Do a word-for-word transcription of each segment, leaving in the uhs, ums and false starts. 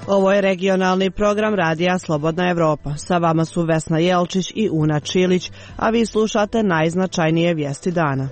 Ovo je regionalni program Radija Slobodna Evropa. Sa vama su Vesna Jelčić i Una Čilić, a vi slušate najznačajnije vijesti dana.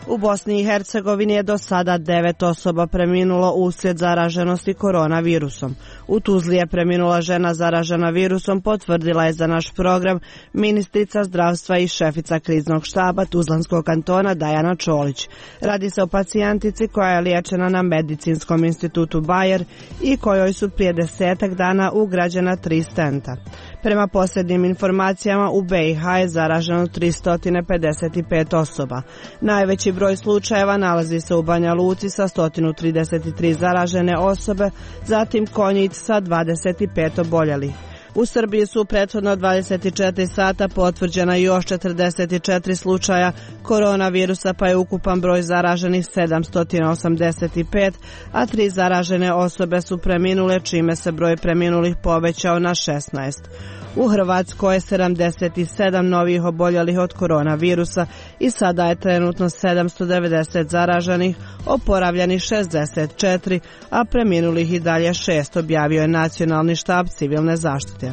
U Bosni i Hercegovini je do sada devet osoba preminulo uslijed zaraženosti koronavirusom. U Tuzli je preminula žena zaražena virusom, potvrdila je za naš program ministrica zdravstva i šefica kriznog štaba Tuzlanskog kantona Dajana Čolić. Radi se o pacijentici koja je liječena na Medicinskom institutu Bajer i kojoj su prije desetak dana ugrađena tri stenta. Prema posljednjim informacijama u B i H je zaraženo tristo pedeset pet osoba. Najveći broj slučajeva nalazi se u Banja Luci sa sto trideset tri zaražene osobe, zatim Konjic sa dvadeset pet oboljelih. U Srbiji su prethodno dvadeset četiri sata potvrđena još četrdeset četiri slučaja koronavirusa, pa je ukupan broj zaraženih sedamsto osamdeset pet, a tri zaražene osobe su preminule, čime se broj preminulih povećao na šesnaest. U Hrvatskoj je sedamdeset sedam novih oboljelih od koronavirusa i sada je trenutno sedamsto devedeset zaraženih, oporavljenih šezdeset četiri, a preminulih i dalje šest, objavio je Nacionalni štab civilne zaštite.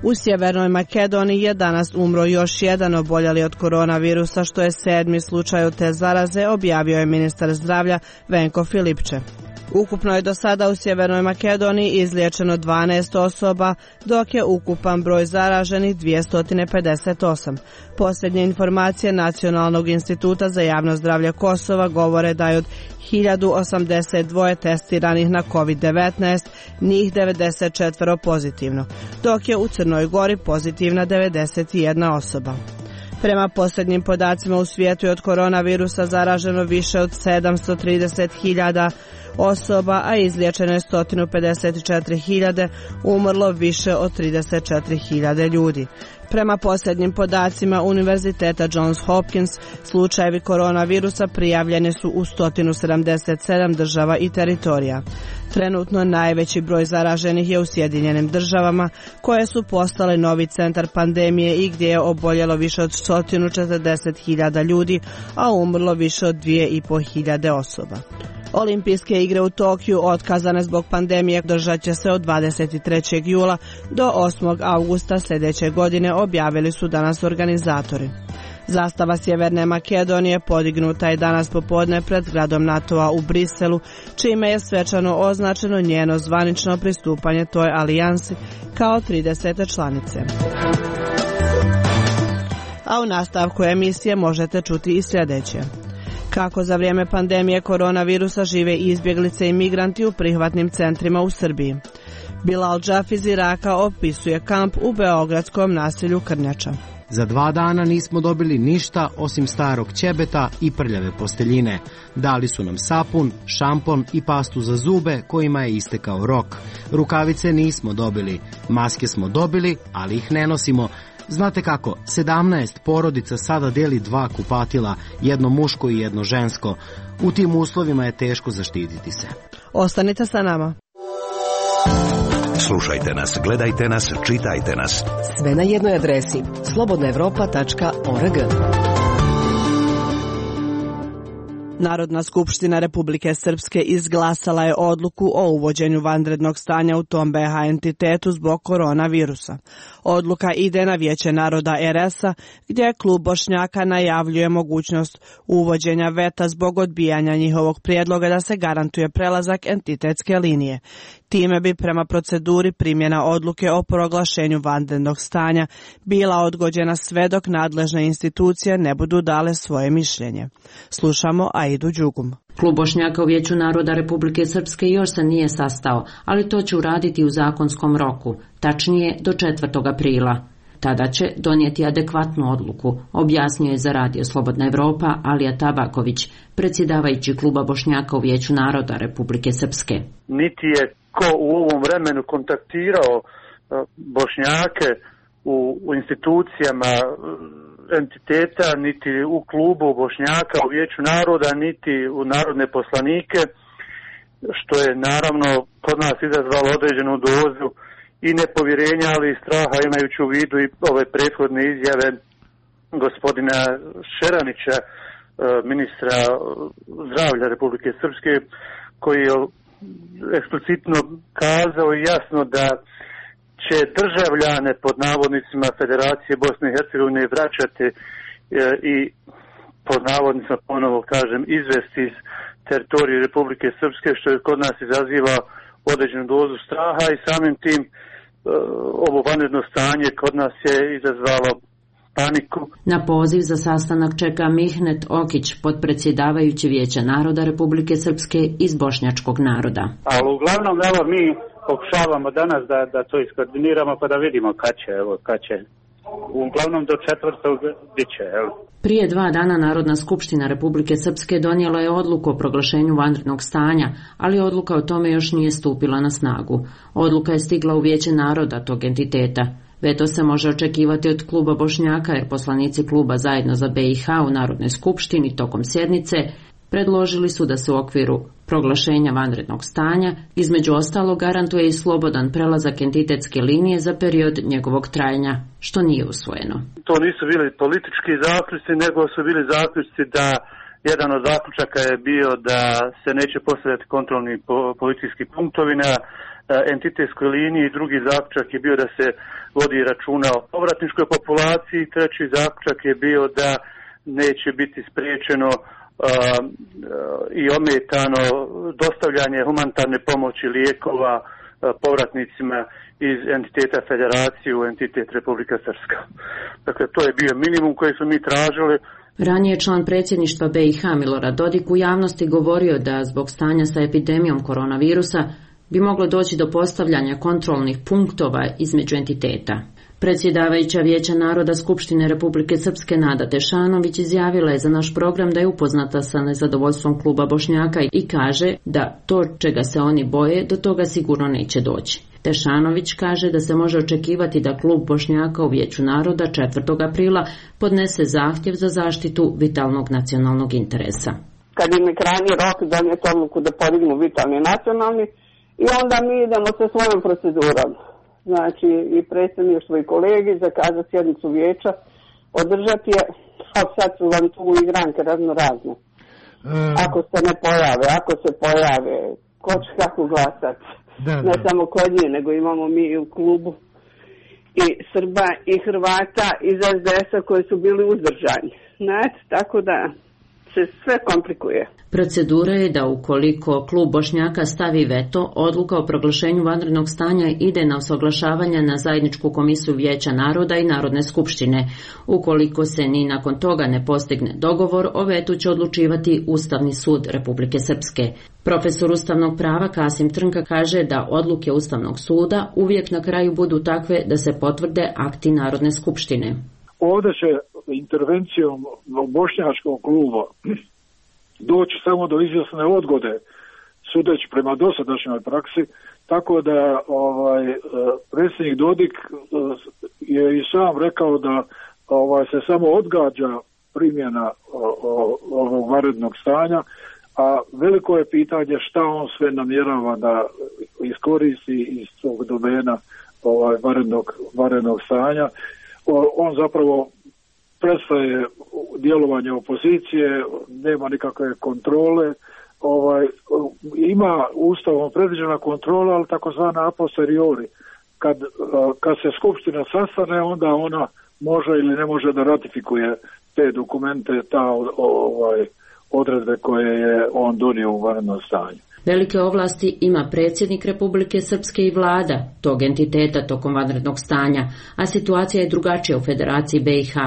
U Sjevernoj Makedoniji je danas umro još jedan oboljeli od koronavirusa, što je sedmi slučaj od te zaraze, objavio je ministar zdravlja Venko Filipče. Ukupno je do sada u Sjevernoj Makedoniji izliječeno dvanaest osoba, dok je ukupan broj zaraženih dvjesto pedeset osam. Posljednje informacije Nacionalnog instituta za javno zdravlje Kosova govore da je od hiljadu osamdeset dva testiranih na kovid devetnaest, njih devedeset četiri pozitivno, dok je u Crnoj Gori pozitivna devedeset jedna osoba. Prema posljednjim podacima u svijetu je od koronavirusa zaraženo više od sedamsto trideset hiljada osoba, a izliječeno je sto pedeset četiri hiljade, umrlo više od trideset četiri hiljade ljudi. Prema posljednjim podacima Univerziteta Johns Hopkins, slučajevi koronavirusa prijavljeni su u sto sedamdeset sedam država i teritorija. Trenutno najveći broj zaraženih je u Sjedinjenim državama, koje su postale novi centar pandemije i gdje je oboljelo više od sto četrdeset hiljada ljudi, a umrlo više od dvije i pol hiljade osoba. Olimpijske igre u Tokiju otkazane zbog pandemije održat će se od dvadeset trećeg jula do osmog avgusta sljedeće godine, objavili su danas organizatori. Zastava Sjeverne Makedonije podignuta je danas popodne pred zgradom NATO-a u Briselu, čime je svečano označeno njeno zvanično pristupanje toj alijansi kao tridesete članice. A u nastavku emisije možete čuti i sljedeće. Kako za vrijeme pandemije koronavirusa žive izbjeglice i migranti u prihvatnim centrima u Srbiji. Bilal Džaf iz Iraka opisuje kamp u beogradskom naselju Krnjača. Za dva dana nismo dobili ništa osim starog ćebeta i prljave posteljine. Dali su nam sapun, šampon i pastu za zube kojima je istekao rok. Rukavice nismo dobili, maske smo dobili, ali ih ne nosimo. Znate kako, sedamnaest porodica sada deli dva kupatila, jedno muško i jedno žensko. U tim uslovima je teško zaštititi se. Ostanite sa nama. Slušajte nas, gledajte nas, čitajte nas. Sve na jednoj adresi slobodna evropa tačka org. Narodna skupština Republike Srpske izglasala je odluku o uvođenju vanrednog stanja u tom B H entitetu zbog koronavirusa. Odluka ide na Vijeće naroda R S-a, gdje klub Bošnjaka najavljuje mogućnost uvođenja veta zbog odbijanja njihovog prijedloga da se garantuje prelazak entitetske linije. Time bi prema proceduri primjena odluke o proglašenju vanrednog stanja bila odgođena sve dok nadležne institucije ne budu dale svoje mišljenje. Slušamo Aidu Đugum. Klub Bošnjaka u Vijeću naroda Republike Srpske još se nije sastao, ali to će uraditi u zakonskom roku, tačnije do četvrtog aprila. Tada će donijeti adekvatnu odluku, objasnio je za Radio Slobodna Evropa Alija Tabaković, predsjedavajući kluba Bošnjaka u Vijeću naroda Republike Srpske. Niti je ko u ovom vremenu kontaktirao Bošnjake u, u institucijama entiteta, niti u klubu Bošnjaka u Vijeću naroda, niti u narodne poslanike, što je naravno kod nas izazvalo određenu dozu i nepovjerenja, ali i straha, imajući u vidu i ove prethodne izjave gospodina Šeranića, ministra zdravlja Republike Srpske, koji je eksplicitno kazao i jasno da će državljane pod navodnicima Federacije Bosne i Hercegovine vraćati i pod navodnicima, ponovo kažem, izvesti iz teritorije Republike Srpske, što je kod nas izaziva određenu dozu straha i samim tim ovo vanredno stanje kod nas je izazvalo paniku. Na poziv za sastanak čeka Mihnet Okić, potpredsjedavajući Vijeća naroda Republike Srpske iz bošnjačkog naroda. Ali uglavnom, evo, mi pokušavamo danas da, da to iskoordiniramo pa da vidimo kad će, evo, kad će. Uglavnom do četvrtog bit će, evo. Prije dva dana Narodna skupština Republike Srpske donijela je odluku o proglašenju vanrednog stanja, ali odluka o tome još nije stupila na snagu. Odluka je stigla u Vijeće naroda tog entiteta. Veto se može očekivati od kluba Bošnjaka jer poslanici kluba Zajedno za B i H u Narodnoj skupštini tokom sjednice predložili su da se u okviru proglašenja vanrednog stanja između ostalog garantuje i slobodan prelazak entitetske linije za period njegovog trajanja, što nije usvojeno. To nisu bili politički zaključci, nego su bili zaključci da jedan od zaključaka je bio da se neće postavljati kontrolni policijski punktovi na entitetskoj liniji, drugi zaključak je bio da se vodi računa o povratničkoj populaciji, treći zaključak je bio da neće biti spriječeno i ometano dostavljanje humanitarne pomoći lijekova povratnicima iz entiteta Federacije u entitet Republika Srpska. Dakle, to je bio minimum koji smo mi tražili. Ranije član predsjedništva B i H Milorad Dodik u javnosti govorio da zbog stanja sa epidemijom koronavirusa bi moglo doći do postavljanja kontrolnih punktova između entiteta. Predsjedavajuća Vijeća naroda Skupštine Republike Srpske Nada Tešanović izjavila je za naš program da je upoznata sa nezadovoljstvom kluba Bošnjaka i kaže da to čega se oni boje do toga sigurno neće doći. Tešanović kaže da se može očekivati da klub Bošnjaka u Vijeću naroda četvrtog aprila podnese zahtjev za zaštitu vitalnog nacionalnog interesa. Kad im je krajnji rok donijeti odluku da podignu vitalni nacionalni i onda mi idemo sa svojom procedurom. Znači i predsjedništvo i kolegi zakazati sjednicu vijeća, održati je, a sad su vam tu igranke razno razne. Um, ako se ne pojave, ako se pojave, ko će kako glasati. Da, ne da. Samo kod nje, nego imamo mi u klubu i Srba i Hrvata iz es de es-a koji su bili uzdržani. Znači, tako da se sve komplikuje. Procedura je da ukoliko klub Bošnjaka stavi veto, odluka o proglašenju vanrednog stanja ide na usaglašavanje na zajedničku komisiju Vijeća naroda i Narodne skupštine. Ukoliko se ni nakon toga ne postigne dogovor, o vetu će odlučivati Ustavni sud Republike Srpske. Profesor ustavnog prava Kasim Trnka kaže da odluke Ustavnog suda uvijek na kraju budu takve da se potvrde akti Narodne skupštine. Ovdje će intervencijom bošnjačkog kluba doći samo do izvjesne odgode, sudeći prema dosadašnjoj praksi, tako da ovaj predsjednik Dodik je i sam rekao da ovaj se samo odgađa primjena ovog vanrednog stanja, a veliko je pitanje šta on sve namjerava da iskoristi iz tog domena ovaj vanrednog vanrednog stanja. On zapravo prestaje djelovanje opozicije, nema nikakve kontrole, ovaj, ima ustavom predviđena kontrola, ali takozvana a posteriori. Kad, kad se skupština sastane, onda ona može ili ne može da ratifikuje te dokumente, ta ovaj, odredbe koje je on donio u vanrednom stanju. Velike ovlasti ima predsjednik Republike Srpske i vlada tog entiteta tokom vanrednog stanja, a situacija je drugačija u Federaciji B i H.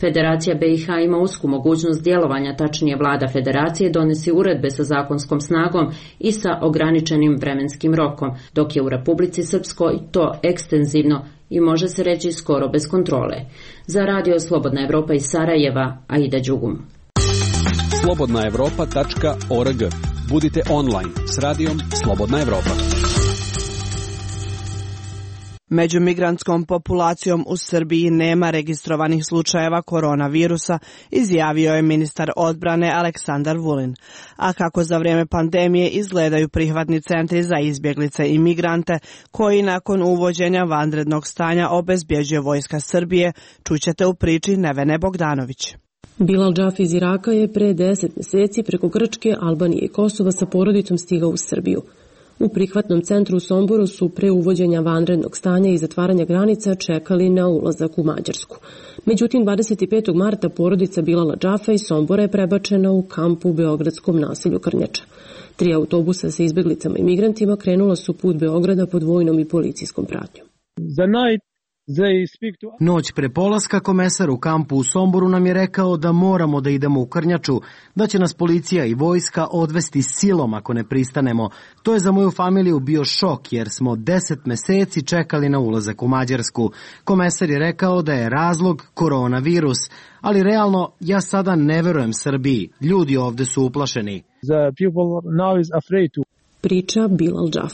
Federacija B i H ima usku mogućnost djelovanja, tačnije vlada Federacije donesi uredbe sa zakonskom snagom i sa ograničenim vremenskim rokom, dok je u Republici Srpskoj to ekstenzivno i može se reći skoro bez kontrole. Za radio Slobodna Evropa iz Sarajeva, Aida Đugum. slobodna evropa tačka org. Budite online s radijom Slobodna Evropa. Među migrantskom populacijom u Srbiji nema registrovanih slučajeva koronavirusa, izjavio je ministar odbrane Aleksandar Vulin. A kako za vrijeme pandemije izgledaju prihvatni centri za izbjeglice i migrante, koji nakon uvođenja vanrednog stanja obezbjeđuje Vojska Srbije, čućete u priči Nevene Bogdanović. Bilal Džaf iz Iraka je pre deset mjeseci preko Grčke, Albanije i Kosova sa porodicom stigao u Srbiju. U prihvatnom centru u Somboru su pre uvođenja vanrednog stanja i zatvaranja granica čekali na ulazak u Mađarsku. Međutim, dvadeset petog marta porodica Bilala Džafa iz Sombora je prebačena u kamp u beogradskom naselju Krnjača. Tri autobusa sa izbjeglicama i migrantima krenula su put Beograda pod vojnom i policijskom pratnjom. Za night Noć pre polaska komesar u kampu u Somboru nam je rekao da moramo da idemo u Krnjaču, da će nas policija i vojska odvesti silom ako ne pristanemo. To je za moju familiju bio šok jer smo deset meseci čekali na ulazak u Mađarsku. Komesar je rekao da je razlog koronavirus, ali realno ja sada ne verujem Srbiji. Ljudi ovde su uplašeni. Priča Bilal Džaf.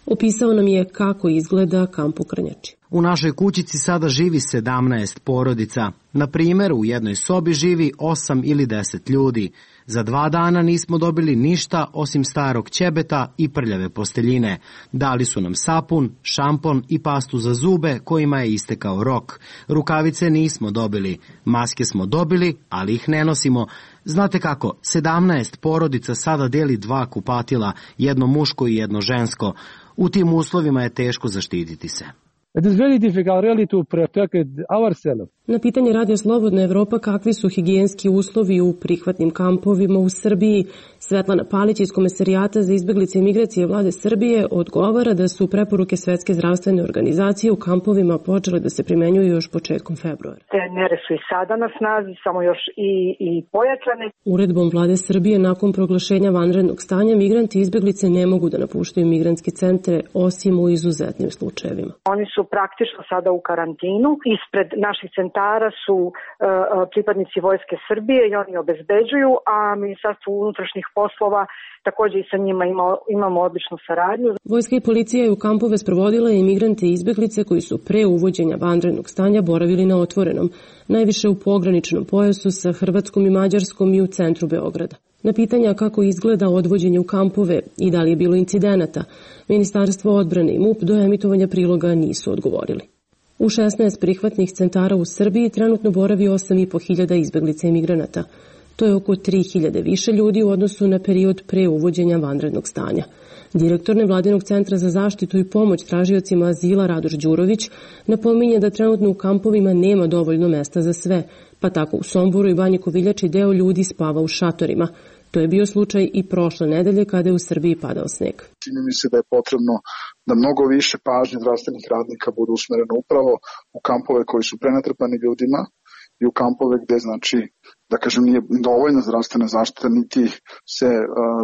Opisao nam je kako izgleda kamp u Krnjači. U našoj kućici sada živi sedamnaest porodica. Na primjer, u jednoj sobi živi osam ili deset ljudi. Za dva dana nismo dobili ništa osim starog ćebeta i prljave posteljine. Dali su nam sapun, šampon i pastu za zube kojima je istekao rok. Rukavice nismo dobili. Maske smo dobili, ali ih ne nosimo. Znate kako, sedamnaest porodica sada deli dva kupatila, jedno muško i jedno žensko. U tim uslovima je teško zaštititi se. It is very difficult really to protect ourselves. Na pitanje Radio Slobodna Evropa kakvi su higijenski uslovi u prihvatnim kampovima u Srbiji, Svetlana Palić iz Komesarijata za izbjeglice i migracije vlade Srbije odgovara da su preporuke Svetske zdravstvene organizacije u kampovima počele da se primenjuju još početkom februara. Te mere su i sada na snazi, samo još i, i pojačane. Uredbom vlade Srbije nakon proglašenja vanrednog stanja migranti i izbjeglice ne mogu da napuštaju migrantske centre osim u izuzetnim slučajevima. Oni su praktično sada u karantinu. Ispred naših centara su uh, pripadnici Vojske Srbije i oni obezbeđuju, a Ministarstvo unutrašnjih poslova također i sa njima ima, imamo odličnu saradnju. Vojska i policija je u kampove sprovodila i imigrante i izbjeglice koji su pre uvođenja vanrednog stanja boravili na otvorenom, najviše u pograničnom pojasu sa Hrvatskom i Mađarskom i u centru Beograda. Na pitanja kako izgleda odvođenje u kampove i da li je bilo incidenata, Ministarstvo odbrane i MUP do emitovanja priloga nisu odgovorili. U šesnaest prihvatnih centara u Srbiji trenutno boravi osam i po hiljada izbjeglica i migranata. To je oko tri hiljade više ljudi u odnosu na period pre uvođenja vanrednog stanja. Direktor Nevladinog centra za zaštitu i pomoć tražiocima azila Radoš Đurović napominje da trenutno u kampovima nema dovoljno mesta za sve, pa tako u Somboru i Banji Koviljači deo ljudi spava u šatorima. To je bio slučaj i prošle nedelje kada je u Srbiji padao sneg. Čini mi se da je potrebno da mnogo više pažnje zdravstvenih radnika bude usmereno upravo u kampove koji su prenatrpani ljudima i u kampove gde, znači, da kažem, nije dovoljna zdravstvena zaštita, niti se uh,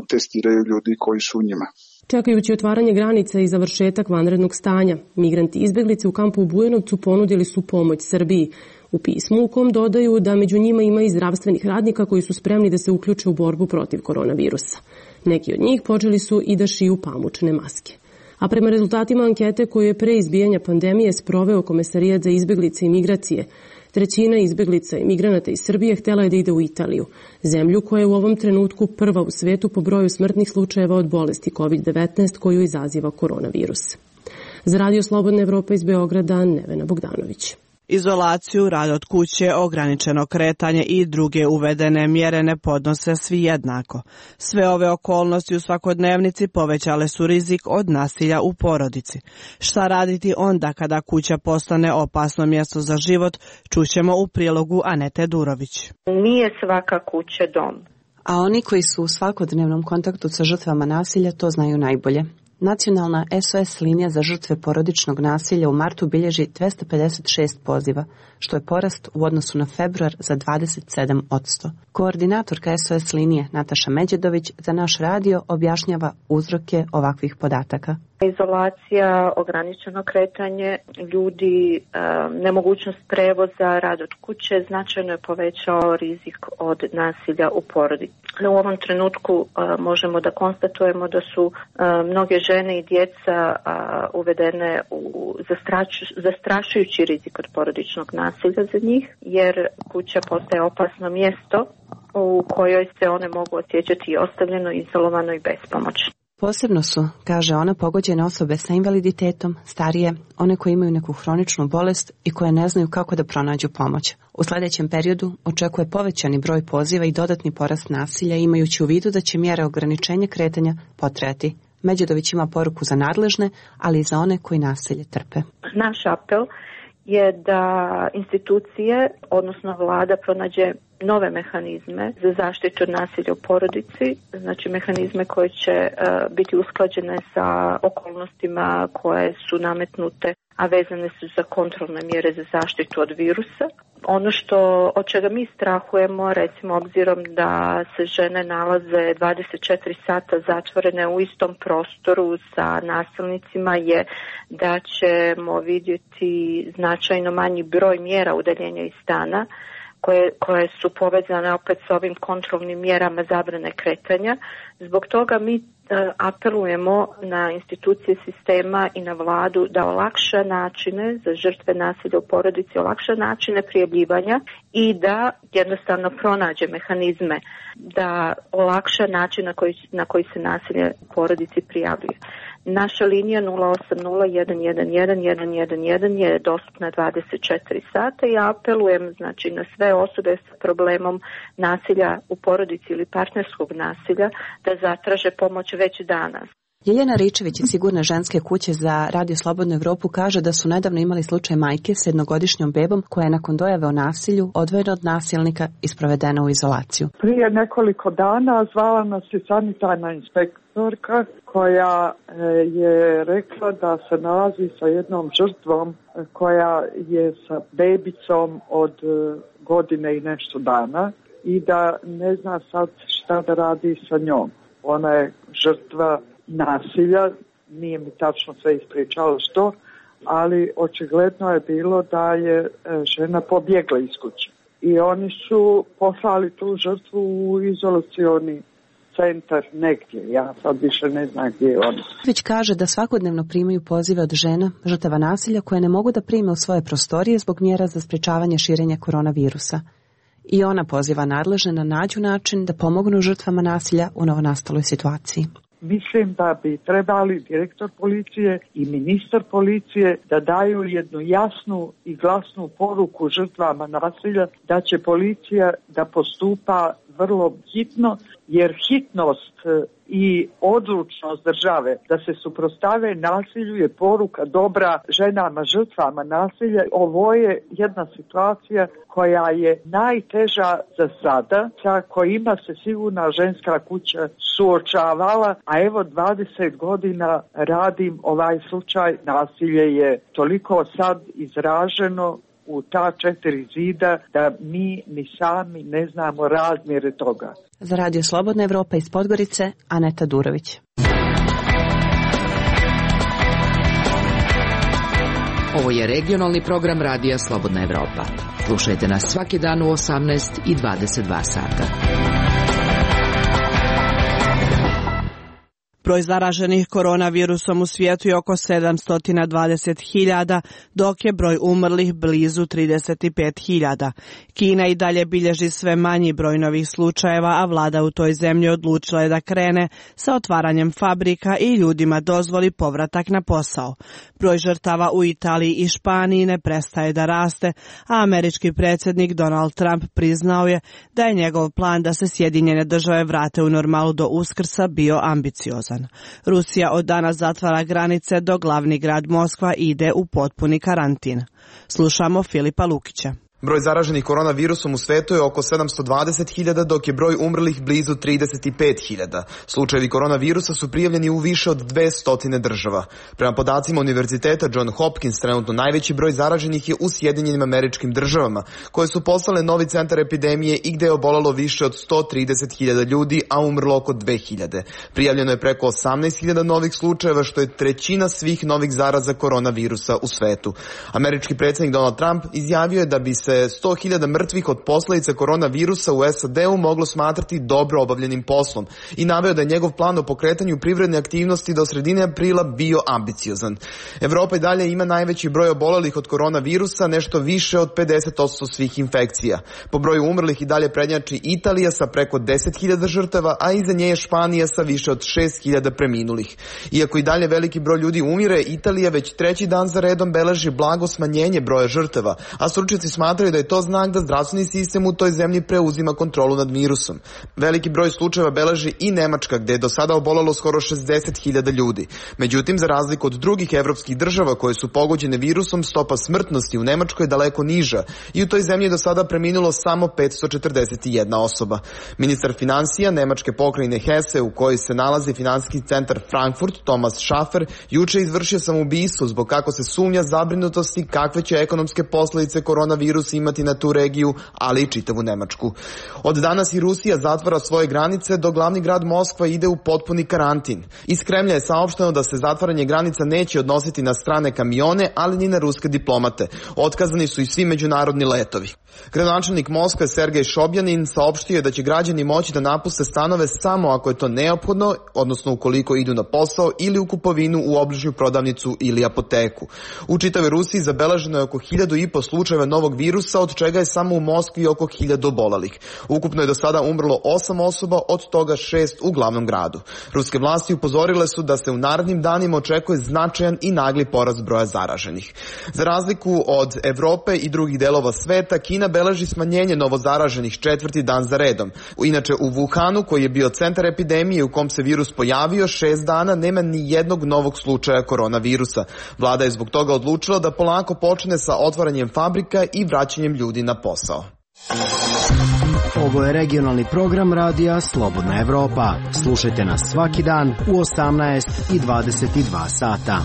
testiraju ljudi koji su u njima. Čekajući otvaranje granica i završetak vanrednog stanja, migranti i izbjeglice u kampu u Bujanovcu ponudili su pomoć Srbiji. U pismu u kom dodaju da među njima ima i zdravstvenih radnika koji su spremni da se uključe u borbu protiv koronavirusa. Neki od njih počeli su i da šiju pamučne maske. A prema rezultatima ankete koju je pre izbijanja pandemije sproveo Komesarijat za izbjeglice i migracije, trećina izbjeglica i migranata iz Srbije htjela je da ide u Italiju, zemlju koja je u ovom trenutku prva u svetu po broju smrtnih slučajeva od bolesti kovid devetnaest koju izaziva koronavirus. Za Radio Slobodna Evropa iz Beograda, Nevena Bogdanović. Izolaciju, rad od kuće, ograničeno kretanje i druge uvedene mjere ne podnose svi jednako. Sve ove okolnosti u svakodnevnici povećale su rizik od nasilja u porodici. Šta raditi onda kada kuća postane opasno mjesto za život, čućemo u prilogu Anete Durović. Nije svaka kuća dom. A oni koji su u svakodnevnom kontaktu sa žrtvama nasilja to znaju najbolje. Nacionalna S O S linija za žrtve porodičnog nasilja u martu bilježi dvesta pedeset šest poziva, što je porast u odnosu na februar za dvadeset sedam posto. Koordinatorka S O S linije Nataša Međedović za naš radio objašnjava uzroke ovakvih podataka. Izolacija, ograničeno kretanje ljudi, nemogućnost prevoza, rad od kuće značajno je povećao rizik od nasilja u porodici. U ovom trenutku možemo da konstatujemo da su mnoge žene i djeca uvedene u zastrašujući rizik od porodičnog nasilja za njih, jer kuća postaje opasno mjesto u kojoj se one mogu osjećati ostavljeno, izolovano i bespomoćno. Posebno su, kaže ona, pogođene osobe sa invaliditetom, starije, one koje imaju neku hroničnu bolest i koje ne znaju kako da pronađu pomoć. U sljedećem periodu očekuje povećani broj poziva i dodatni porast nasilja, imajući u vidu da će mjere ograničenja kretanja potrajati. Međedović ima poruku za nadležne, ali i za one koji nasilje trpe. Naš apel je da institucije, odnosno vlada, pronađe nove mehanizme za zaštitu od nasilja u porodici, znači mehanizme koje će uh, biti usklađene sa okolnostima koje su nametnute, a vezane su za kontrolne mjere za zaštitu od virusa. Ono što od čega mi strahujemo, recimo obzirom da se žene nalaze dvadeset četiri sata zatvorene u istom prostoru sa nasilnicima, je da ćemo vidjeti značajno manji broj mjera udaljenja iz stana, koje, koje su povezane opet s ovim kontrolnim mjerama zabrane kretanja. Zbog toga mi apelujemo na institucije sistema i na vladu da olakša načine za žrtve nasilja u porodici, olakša načine prijavljivanja i da jednostavno pronađe mehanizme da olakša način na koji, na koji se nasilje u porodici prijavljuje. Naša linija nula osam nula jedan jedan jedan jedan jedan jedan je dostupna dvadeset četiri sata i apelujem znači na sve osobe s problemom nasilja u porodici ili partnerskog nasilja da zatraže pomoć već danas. Ljiljana Ričević iz Sigurne ženske kuće za Radio Slobodnu Evropu kaže da su nedavno imali slučaj majke s jednogodišnjom bebom koja je nakon dojave o nasilju odvojena od nasilnika i sprovedena u izolaciju. Prije nekoliko dana zvala nas je sanitarna inspektorka koja je rekla da se nalazi sa jednom žrtvom koja je sa bebicom od godine i nešto dana i da ne zna sad šta da radi sa njom. Ona je žrtva nasilja, nije mi tačno sve ispričala što, ali očigledno je bilo da je žena pobjegla iz kuće. I oni su poslali tu žrtvu u izolacioni centar negdje. Ja sad više ne znam gdje je ona. Već kaže da svakodnevno primaju pozive od žena, žrtava nasilja, koje ne mogu da prime u svoje prostorije zbog mjera za sprečavanje širenja koronavirusa. I ona poziva nadležne na nađu način da pomognu žrtvama nasilja u novonastaloj situaciji. Mislim da bi trebali direktor policije i ministar policije da daju jednu jasnu i glasnu poruku žrtvama nasilja da će policija da postupa vrlo hitno, jer hitnost i odlučnost države da se suprotstave nasilju je poruka dobra ženama, žrtvama nasilja. Ovo je jedna situacija koja je najteža za sada, sa kojima se Sigurna ženska kuća suočavala, a evo dvadeset godina radim ovaj slučaj. Nasilje je toliko sad izraženo u ta četiri zida da mi ni sami ne znamo razmjere toga. Za Radio Slobodna Evropa iz Podgorice, Aneta Durović. Ovo je regionalni program Radija Slobodna Evropa. Slušajte nas svaki dan u osamnaest i dvadeset dva sata. Broj zaraženih koronavirusom u svijetu je oko sedamsto dvadeset hiljada, dok je broj umrlih blizu trideset pet hiljada. Kina i dalje bilježi sve manji broj novih slučajeva, a vlada u toj zemlji odlučila je da krene sa otvaranjem fabrika i ljudima dozvoli povratak na posao. Broj žrtava u Italiji i Španiji ne prestaje da raste, a američki predsjednik Donald Trump priznao je da je njegov plan da se Sjedinjene države vrate u normalu do Uskrsa bio ambiciozan. Rusija od danas zatvara granice, dok glavni grad Moskva ide u potpuni karantin. Slušamo Filipa Lukića. Broj zaraženih koronavirusom u svetu je oko sedamsto dvadeset hiljada, dok je broj umrlih blizu trideset pet hiljada. Slučajevi koronavirusa su prijavljeni u više od dvesta država. Prema podacima Univerziteta John Hopkins, trenutno najveći broj zaraženih je u Sjedinjenim Američkim Državama, koje su postale novi centar epidemije i gde je obolelo više od sto trideset hiljada ljudi, a umrlo oko dve hiljade. Prijavljeno je preko osamnaest hiljada novih slučajeva, što je trećina svih novih zaraza koronavirusa u svetu. Američki predsjednik Donald Trump izjavio je da bi se sto hiljada mrtvih od posledica koronavirusa u S A D-u moglo smatrati dobro obavljenim poslom i naveo da je njegov plan o pokretanju privredne aktivnosti do sredine aprila bio ambiciozan. Evropa i dalje ima najveći broj obolelih od koronavirusa, nešto više od pedeset posto svih infekcija. Po broju umrlih i dalje prednjači Italija sa preko deset hiljada žrtava, a iza nje je Španija sa više od šest hiljada preminulih. Iako i dalje veliki broj ljudi umire, Italija već treći dan za redom beleži blago smanjenje broja žrtava, a stručnjaci smatraju da je to znak da zdravstveni sistem u toj zemlji preuzima kontrolu nad virusom. Veliki broj slučajeva beleži i Nemačka, gde je do sada obolelo skoro šezdeset hiljada ljudi. Međutim, za razliku od drugih evropskih država koje su pogođene virusom, stopa smrtnosti u Nemačkoj je daleko niža i u toj zemlji je do sada preminulo samo petsto četrdeset jedna osoba. Ministar finansija Nemačke pokrajine Hesse, u kojoj se nalazi finansijski centar Frankfurt, Thomas Schaffer, juče izvršio samoubistvo zbog kako se sumnja zabrinutosti kakve će ekonomske posledice koronavirusa imati na tu regiju, ali i čitavu Nemačku. Od danas i Rusija zatvara svoje granice, dok glavni grad Moskva ide u potpuni karantin. Iz Kremlja je saopšteno da se zatvaranje granica neće odnositi na strane kamione, ali ni na ruske diplomate. Otkazani su i svi međunarodni letovi. Gradonačelnik Moskve Sergej Šobjanin saopštio je da će građani moći da napuste stanove samo ako je to neophodno, odnosno ukoliko idu na posao ili u kupovinu u obližnju prodavnicu ili apoteku. U čitavoj Rusiji zabeleženo je oko hiljadu i po slučajeva novog virusa, od čega je samo u Moskvi oko hiljadu obolelih. Ukupno je do sada umrlo osam osoba, od toga šest u glavnom gradu. Ruske vlasti upozorile su da se u narednim danima očekuje značajan i nagli porast broja zaraženih. Za razliku od Evrope i drugih delova sveta, Kina beleži smanjenje novozaraženih četvrti dan za redom. Inače, u Wuhanu, koji je bio centar epidemije u kom se virus pojavio, šest dana nema ni jednog novog slučaja koronavirusa. Vlada je zbog toga odlučila da polako počne sa otvaranjem fabrika i vraćanjem ljudi na posao. Ovo je regionalni program radija Slobodna Evropa. Slušajte nas svaki dan u osamnaest i dvadeset dva sata.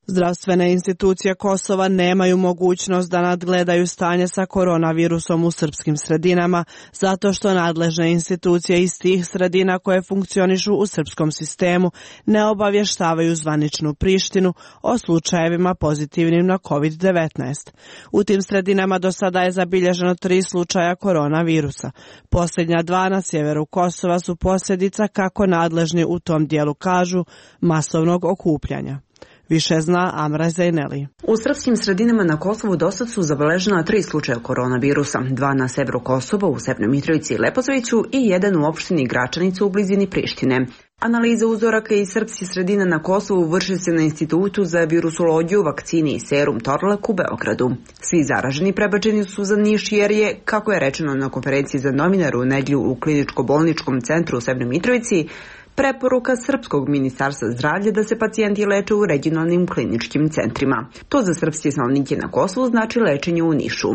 Zdravstvene institucije Kosova nemaju mogućnost da nadgledaju stanje sa koronavirusom u srpskim sredinama, zato što nadležne institucije iz tih sredina koje funkcionišu u srpskom sistemu ne obavještavaju zvaničnu Prištinu o slučajevima pozitivnim na kovid devetnaest. U tim sredinama do sada je zabilježeno tri slučaja koronavirusa. Posljednja dva na sjeveru Kosova su posljedica, kako nadležni u tom dijelu kažu, masovnog okupljanja. Više zna Amra Zejneli. U srpskim sredinama na Kosovu dosad su zabeležena tri slučaja koronavirusa, dva na severu Kosova u Severnoj Mitrovici i Leposaviću i jedan u opštini Gračanicu u blizini Prištine. Analiza uzoraka iz srpskih sredina na Kosovu vrši se na Institutu za virusologiju, vakcini i serum Torlak u Beogradu. Svi zaraženi prebačeni su za Niš jer je, kako je rečeno na konferenciji za novinare u nedjelju u kliničko-bolničkom centru u Severnoj Mitrovici, preporuka Srpskog ministarstva zdravlja da se pacijenti leče u regionalnim kliničkim centrima. To za srpske stanovnike na Kosovu znači lečenje u Nišu.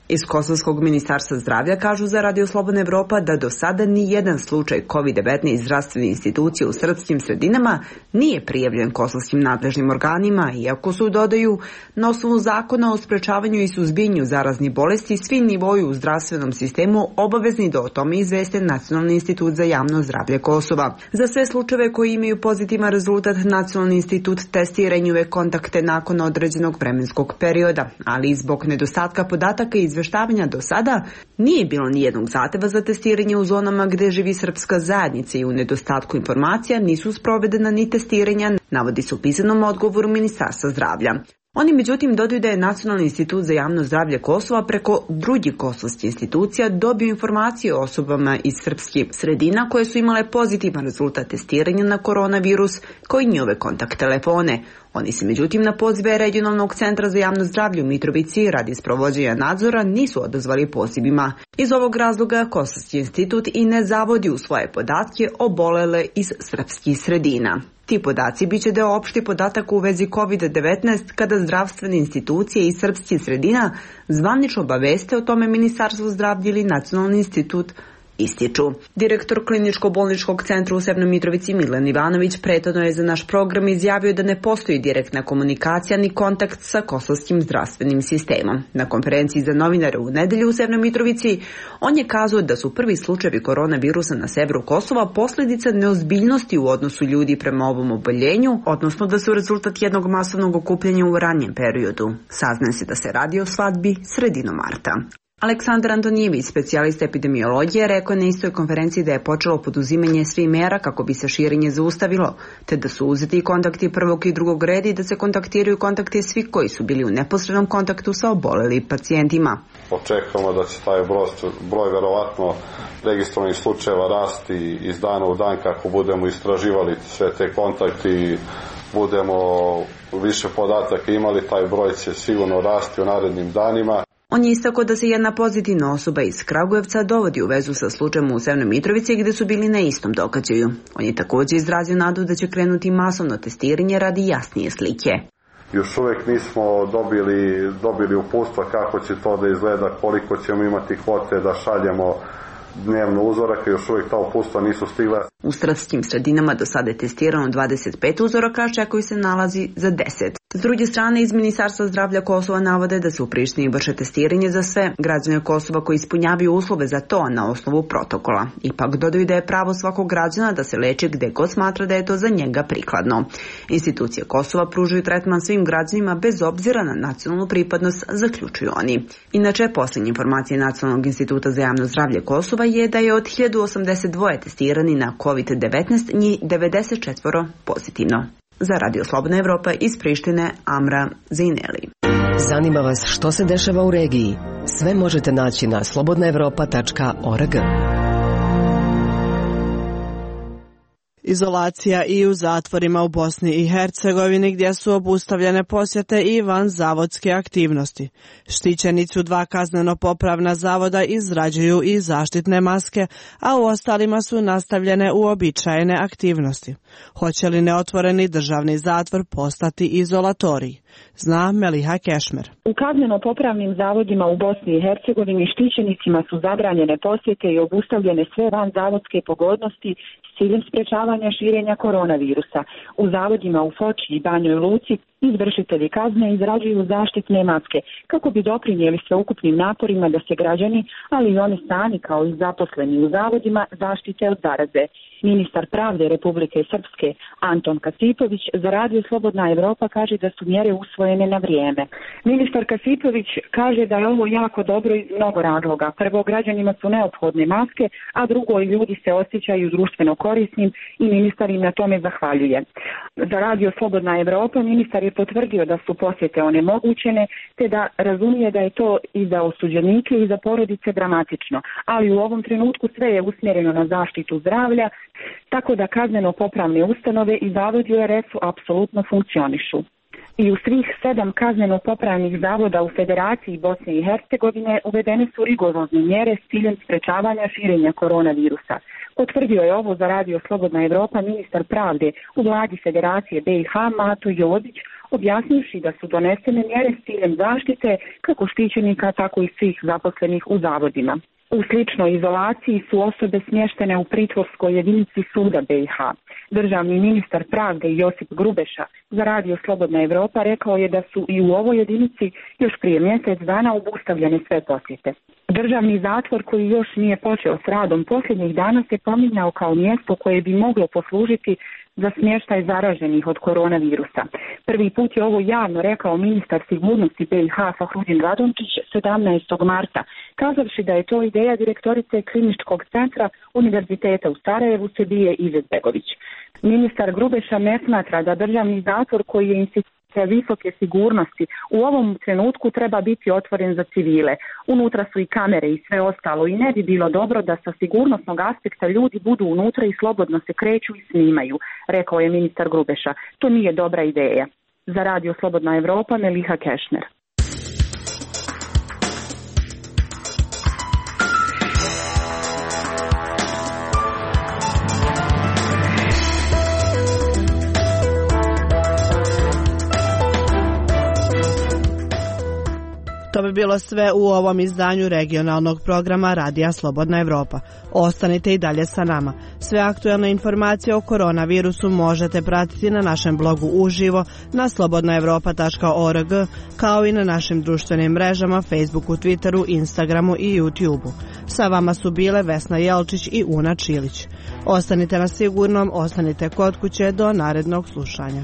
Iz Kosovskog ministarstva zdravlja kažu za Radio Slobodna Evropa da do sada ni jedan slučaj kovid devetnaest zdravstvene institucije u srpskim sredinama nije prijavljen kosovskim nadležnim organima, iako su, dodaju, na osnovu zakona o sprečavanju i suzbijanju zaraznih bolesti svi nivoji u zdravstvenom sistemu obavezni da o tome izveste Nacionalni institut za javno zdravlje Kosova. Za sve slučajeve koji imaju pozitivan rezultat, Nacionalni institut testira njihove kontakte nakon određenog vremenskog perioda, ali i zbog nedostatka podataka i izveštavanja do sada nije bilo ni jednog zahteva za testiranje u zonama gde živi srpska zajednica i u nedostatku informacija nisu sprovedena ni testiranja, navodi se u pisanom odgovoru Ministarstva zdravlja. Oni međutim dodaju da je Nacionalni institut za javno zdravlje Kosova preko drugih kosovskih institucija dobio informacije o osobama iz srpskih sredina koje su imale pozitivan rezultat testiranja na koronavirus, kao i njihove kontakt telefone. Oni se međutim na pozive regionalnog centra za javno zdravlje u Mitrovici radi sprovođenja nadzora nisu odazvali pozivima. Iz ovog razloga Kosovski institut i ne zavodi u svoje podatke obolele iz srpskih sredina. Ti podaci biće deo opšti podataka u vezi kovid devetnaest kada zdravstvene institucije iz srpskih sredina zvanično obaveste o tome Ministarstvo zdravlja ili Nacionalni institut ističu. Direktor kliničko-bolničkog centra u Severnoj Mitrovici Milan Ivanović prethodno je za naš program izjavio da ne postoji direktna komunikacija ni kontakt sa kosovskim zdravstvenim sistemom. Na konferenciji za novinare u nedelju u Severnoj Mitrovici on je kazao da su prvi slučajevi koronavirusa na severu Kosova posljedica neozbiljnosti u odnosu ljudi prema ovom oboljenju, odnosno da su rezultat jednog masovnog okupljanja u ranjem periodu. Saznaje se da se radi o svadbi sredinom marta. Aleksandar Antonijević, specijalista epidemiologije, rekao na istoj konferenciji da je počelo poduzimanje svih mera kako bi se širenje zaustavilo, te da su uzeti kontakti prvog i drugog reda i da se kontaktiraju kontakti svih koji su bili u neposrednom kontaktu sa obolelim pacijentima. Očekujemo da će taj broj, broj verovatno registrovanih slučajeva rasti iz dana u dan kako budemo istraživali sve te kontakte i budemo više podataka imali, taj broj će sigurno rasti u narednim danima. On je istakao da se jedna pozitivna osoba iz Kragujevca dovodi u vezu sa slučajem u Severnoj Mitrovici gdje su bili na istom događaju. On je također izrazio nadu da će krenuti masovno testiranje radi jasnije slike. Još uvijek nismo dobili, dobili uputstva kako će to da izgleda, koliko ćemo imati kvote da šaljemo dnevno uzoraka, još uvijek ta uputstva nisu stigla. U stratskim sredinama do sada je testirano dvadeset pet uzoraka, čekaju se nalazi za deset. S druge strane, iz Ministarstva zdravlja Kosova navode da se u Prištini vrše testiranje za sve građane Kosova koji ispunjavaju uslove za to na osnovu protokola. Ipak dodaju da je pravo svakog građana da se leči gde god smatra da je to za njega prikladno. Institucije Kosova pružaju tretman svim građanima bez obzira na nacionalnu pripadnost, zaključuju oni. Inače, posljednje informacije Nacionalnog instituta za javno zdravlje Kosova je da je od hiljadu osamdeset dva testirani na kovid devetnaest, njih devedeset četiri pozitivno. Za Radio Slobodna Evropa iz Prištine, Amra Zejneli. Zanima vas što se dešava u regiji? Sve možete naći na slobodna evropa tačka org. Izolacija i u zatvorima u Bosni i Hercegovini gdje su obustavljene posjete i vanzavodske aktivnosti. Štićenici u dva kazneno-popravna zavoda izrađuju i zaštitne maske, a u ostalima su nastavljene uobičajene aktivnosti. Hoće li neotvoreni državni zatvor postati izolatorij? Zna Meliha Kešmer. U kazneno-popravnim zavodima u Bosni i Hercegovini štićenicima su zabranjene posjete i obustavljene sve vanzavodske pogodnosti s ciljem sprečavanja širenja koronavirusa. U zavodima u Foči i Banjoj Luci izvršitelji kazne izrađuju zaštitne maske kako bi doprinijeli sveukupnim naporima da se građani, ali i oni sami kao i zaposleni u zavodima, zaštite od zaraze. Ministar pravde Republike Srpske Anton Kasipović za Radio Slobodna Evropa kaže da su mjere usvojene na vrijeme. Ministar Kasipović kaže da je ovo jako dobro iz mnogo razloga. Prvo, građanima su neophodne maske, a drugo, ljudi se osjećaju društveno korisnim i ministar im na tome zahvaljuje. Za Radio Slobodna Evropa ministar je potvrdio da su posjete onemogućene, te da razumije da je to i za osuđenike i za porodice dramatično, ali u ovom trenutku sve je usmjereno na zaštitu zdravlja, tako da kazneno-popravne ustanove i zavodi u er efu apsolutno funkcionišu. I u svih sedam kazneno-popravnih zavoda u Federaciji Bosne i Hercegovine uvedene su rigorozne mjere s ciljem sprečavanja širenja koronavirusa. Potvrdio je ovo za Radio Slobodna Evropa ministar pravde u vladi Federacije be i ha Mato Jozić, objasnivši da su donesene mjere s ciljem zaštite kako štićenika, tako i svih zaposlenih u zavodima. U sličnoj izolaciji su osobe smještene u pritvorskoj jedinici suda be i ha. Državni ministar pravde Josip Grubeša za Radio Slobodna Evropa rekao je da su i u ovoj jedinici još prije mjesec dana obustavljene sve posjete. Državni zatvor koji još nije počeo s radom posljednjih dana se pominjao kao mjesto koje bi moglo poslužiti za smještaj zaraženih od koronavirusa. Prvi put je ovo javno rekao ministar sigurnosti be i ha Fahrudin Radončić sedamnaestog marta, kazavši da je to ideja direktorice kliničkog centra Univerziteta u Sarajevu Sebije Izetbegović. Ministar Grubeša ne smatra da državni zatvor koji je institucija visoke sigurnosti u ovom trenutku treba biti otvoren za civile. Unutra su i kamere i sve ostalo i ne bi bilo dobro da sa sigurnosnog aspekta ljudi budu unutra i slobodno se kreću i snimaju, rekao je ministar Grubeša. To nije dobra ideja. Za Radio Slobodna Evropa, Meliha Kešner. bi bilo sve u ovom izdanju regionalnog programa Radija Slobodna Evropa. Ostanite i dalje sa nama. Sve aktuelne informacije o koronavirusu možete pratiti na našem blogu uživo na slobodna evropa tačka org, kao i na našim društvenim mrežama Facebooku, Twitteru, Instagramu i YouTubeu. Sa vama su bile Vesna Jelčić i Una Čilić. Ostanite na sigurnom, ostanite kod kuće do narednog slušanja.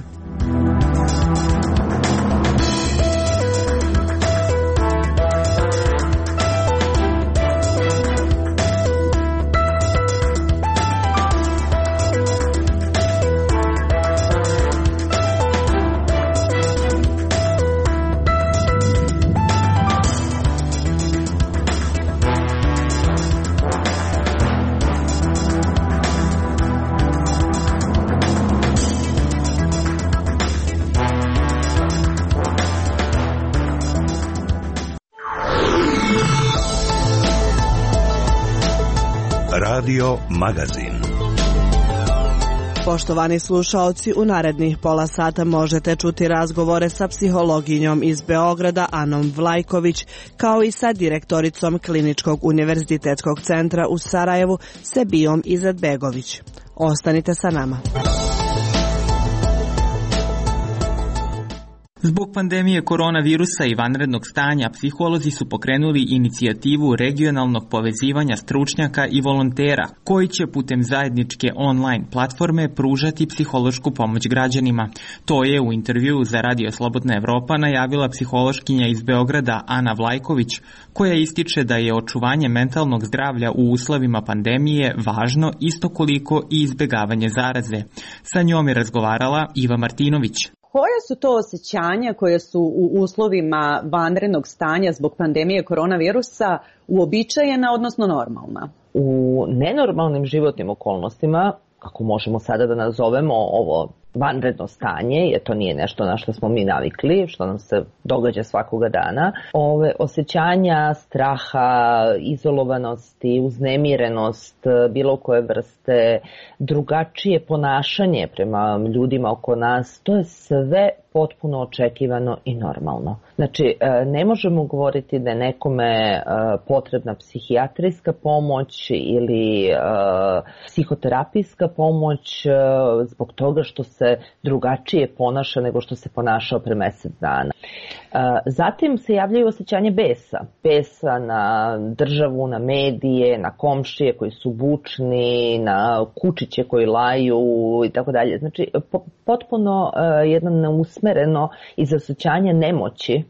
Radio Magazin. Poštovani slušaoci, u narednih pola sata možete čuti razgovore sa psihologinjom iz Beograda Anom Vlajković, kao i sa direktoricom Kliničkog univerzitetskog centra u Sarajevu Sebijom Izetbegović. Ostanite sa nama. Zbog pandemije koronavirusa i vanrednog stanja, psiholozi su pokrenuli inicijativu regionalnog povezivanja stručnjaka i volontera, koji će putem zajedničke online platforme pružati psihološku pomoć građanima. To je u intervjuu za Radio Slobodna Evropa najavila psihološkinja iz Beograda Ana Vlajković, koja ističe da je očuvanje mentalnog zdravlja u uslovima pandemije važno isto koliko i izbegavanje zaraze. Sa njom je razgovarala Iva Martinović. Koja su to osjećanja koje su u uslovima vanrednog stanja zbog pandemije koronavirusa uobičajena, odnosno normalna? U nenormalnim životnim okolnostima, kako možemo sada da nazovemo ovo vanredno stanje, jer to nije nešto na što smo mi navikli, što nam se događa svakoga dana, ove osjećanja straha, izolovanosti, uznemirenost, bilo koje vrste, drugačije ponašanje prema ljudima oko nas, to je sve potpuno očekivano i normalno. Znači, ne možemo govoriti da je nekome potrebna psihijatrijska pomoć ili psihoterapijska pomoć zbog toga što se drugačije ponaša nego što se ponašao pre mesec dana. Zatim se javljaju osjećanje besa. Besa na državu, na medije, na komšije koji su bučni, na kučiće koji laju i tako dalje. Znači, potpuno jedno neusmereno iz osjećanja nemoći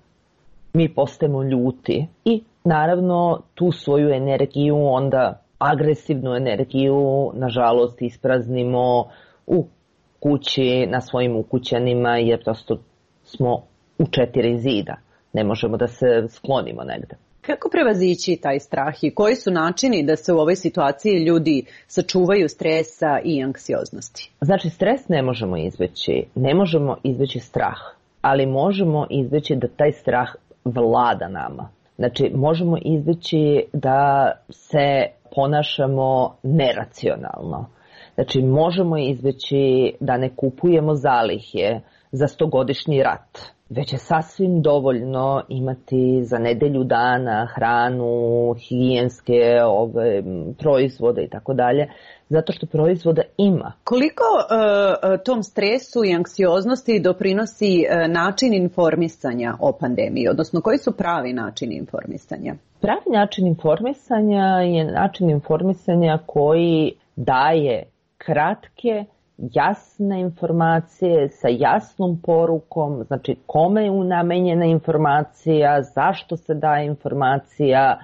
mi postajemo ljuti i naravno tu svoju energiju, onda agresivnu energiju, nažalost, ispraznimo u kući, na svojim ukućanima, jer prosto smo u četiri zida. Ne možemo da se sklonimo negde. Kako prevazići taj strah i koji su načini da se u ovoj situaciji ljudi sačuvaju stresa i anksioznosti? Znači, stres ne možemo izbeći, ne možemo izbeći strah, ali možemo izbeći da taj strah vlada nama. Znači, možemo izbeći da se ponašamo neracionalno. Znači, možemo izbeći da ne kupujemo zalihe za stogodišnji rat, već je sasvim dovoljno imati za nedelju dana hranu, higijenske ove, proizvode i tako dalje, zato što proizvoda ima. Koliko uh, tom stresu i anksioznosti doprinosi uh, način informisanja o pandemiji, odnosno koji su pravi načini informisanja? Pravi način informisanja je način informisanja koji daje kratke, jasne informacije sa jasnom porukom, znači kome je namenjena informacija, zašto se daje informacija,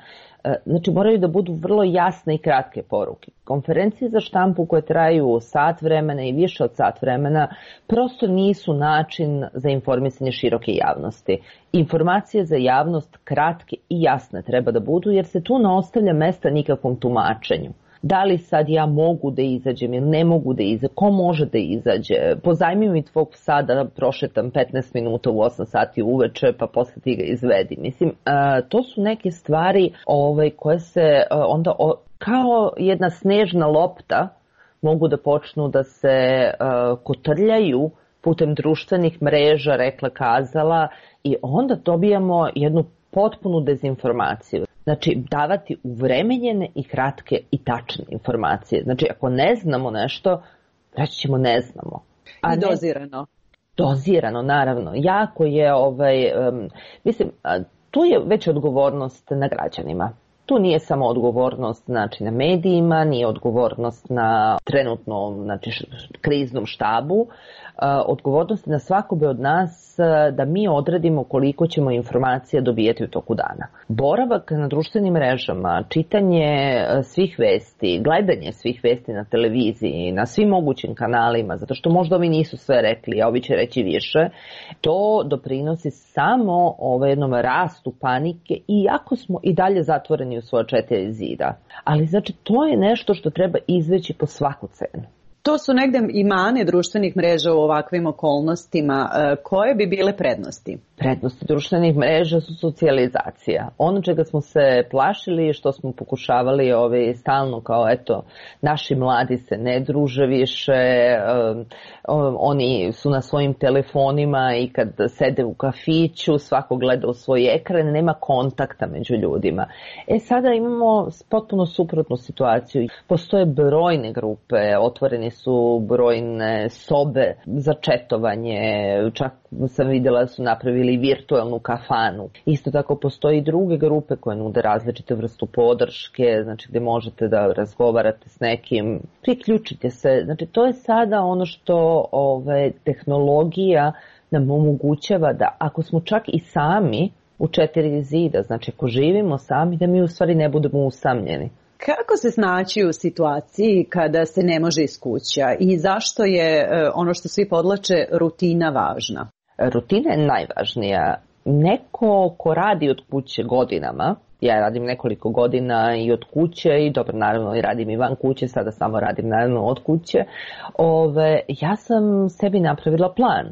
znači moraju da budu vrlo jasne i kratke poruke. Konferencije za štampu koje traju sat vremena i više od sat vremena prosto nisu način za informisanje široke javnosti. Informacije za javnost kratke i jasne treba da budu, jer se tu ne ostavlja mesta nikakvom tumačenju. Da li sad ja mogu da izađem ili ne mogu da izađem, ko može da izađe, pozajmi mi tvog psa da prošetam petnaest minuta u osam sati uveče pa posle ti ga izvedi. Mislim, to su neke stvari ovaj, koje se onda kao jedna snežna lopta mogu da počnu da se kotrljaju putem društvenih mreža, rekla, kazala, i onda dobijamo jednu potpunu dezinformaciju. Znači, davati uvremenjene i kratke i tačne informacije. Znači, ako ne znamo nešto, reći ćemo ne znamo. A I dozirano. Ne, dozirano, naravno. Jako je, ovaj, um, mislim, tu je već odgovornost na građanima. Tu nije samo odgovornost, znači, na medijima, nije odgovornost na trenutno, znači, kriznom štabu. Odgovornost na svakome od nas da mi odredimo koliko ćemo informacija dobijeti u toku dana. Boravak na društvenim mrežama, čitanje svih vesti, gledanje svih vesti na televiziji, na svim mogućim kanalima, zato što možda ovi nisu sve rekli, a ovi će reći više, to doprinosi samo ovaj jednom rastu panike, iako smo i dalje zatvoreni u svoje četiri zida. Ali znači to je nešto što treba izveći po svaku cenu. To su negde i mane društvenih mreža u ovakvim okolnostima. Koje bi bile prednosti? Prednosti društvenih mreža su socijalizacija. Ono čega smo se plašili, što smo pokušavali ove, stalno kao eto, naši mladi se ne druže više, um, oni su na svojim telefonima i kad sede u kafiću, svako gleda u svoj ekran, nema kontakta među ljudima. E sada imamo potpuno suprotnu situaciju. Postoje brojne grupe, otvoreni su brojne sobe za četovanje, čak sam vidjela da su napravili virtualnu kafanu. Isto tako postoji i druge grupe koje nude različite vrstu podrške, znači gdje možete da razgovarate s nekim, priključite se. Znači to je sada ono što ove, tehnologija nam omogućava da ako smo čak i sami u četiri zida, znači ako živimo sami, da mi u stvari ne budemo usamljeni. Kako se snaći u situaciji kada se ne može iz kuća i zašto je ono što svi podlače rutina važna? Rutina je najvažnija. Neko ko radi od kuće godinama, ja radim nekoliko godina i od kuće i dobro naravno i radim i van kuće, sada samo radim naravno od kuće, ove, ja sam sebi napravila plan.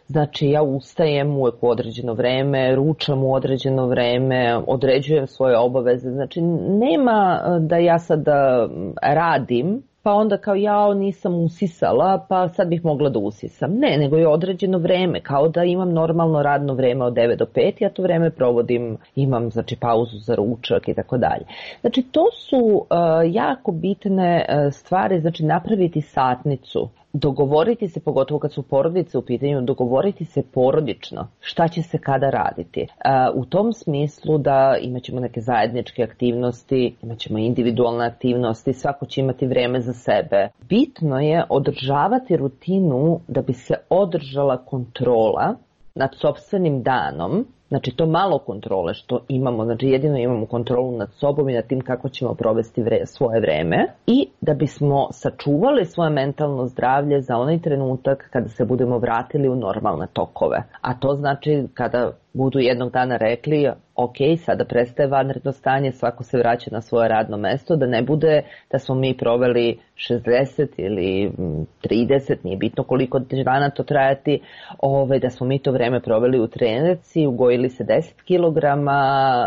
Znači ja ustajem uvijek u određeno vreme, ručam u određeno vreme, određujem svoje obaveze. Znači nema da ja sada radim pa onda kao ja nisam usisala pa sad bih mogla da usisam. Ne, nego je određeno vreme, kao da imam normalno radno vreme od devet do pet, ja to vreme provodim, imam znači pauzu za ručak i tako dalje. Znači to su uh, jako bitne uh, stvari, znači napraviti satnicu. Dogovoriti se, pogotovo kad su porodice u pitanju, dogovoriti se porodično šta će se kada raditi. U tom smislu da imat ćemo neke zajedničke aktivnosti, imat ćemo individualne aktivnosti, svako će imati vreme za sebe. Bitno je održavati rutinu da bi se održala kontrola nad sopstvenim danom. Znači to malo kontrole što imamo, znači jedino imamo kontrolu nad sobom i nad tim kako ćemo provesti vre, svoje vreme i da bismo sačuvali svoje mentalno zdravlje za onaj trenutak kada se budemo vratili u normalne tokove. A to znači kada budu jednog dana rekli ok, sada prestaje vanredno stanje, svako se vraća na svoje radno mesto, da ne bude da smo mi proveli šezdeset ili trideset, nije bitno koliko dana to trajati, ove, da smo mi to vreme proveli u trenerci, ugojili se deset kilograma,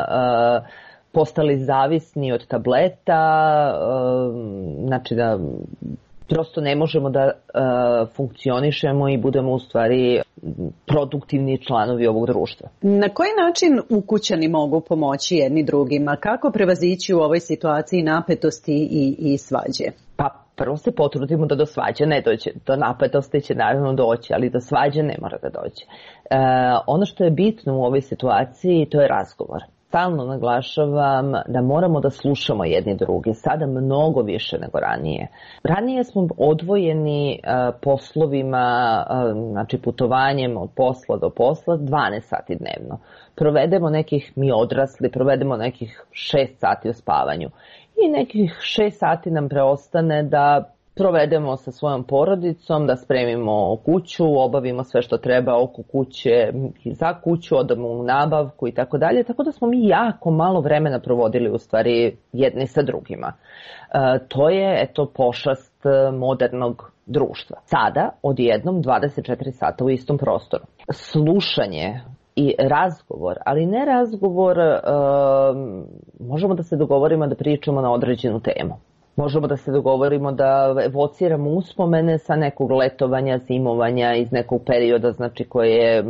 uh, postali zavisni od tableta, uh, znači da prosto ne možemo da uh, funkcionišemo i budemo u stvari produktivni članovi ovog društva. Na koji način ukućani mogu pomoći jedni drugima? Kako prevazići u ovoj situaciji napetosti i, i svađe? Pa prvo se potrudimo da do svađe ne dođe. Do napetosti će naravno doći, ali do svađe ne mora da dođe. E, ono što je bitno u ovoj situaciji to je razgovor. Stalno naglašavam da moramo da slušamo jedni drugi, sada mnogo više nego ranije. Ranije smo odvojeni uh, poslovima, uh, znači putovanjem od posla do posla dvanaest sati dnevno. Provedemo nekih, mi odrasli, provedemo nekih šest sati u spavanju. I nekih šest sati nam preostane da provedemo sa svojom porodicom, da spremimo kuću, obavimo sve što treba oko kuće i za kuću, odamo u nabavku i tako dalje. Tako da smo mi jako malo vremena provodili u stvari jedni sa drugima. E, to je eto pošast modernog društva. Sada odjednom dvadeset četiri sata u istom prostoru. Slušanje i razgovor, ali ne razgovor, e, možemo da se dogovorimo da pričamo na određenu temu. Možemo da se dogovorimo da evociramo uspomene sa nekog letovanja, zimovanja iz nekog perioda, znači koje je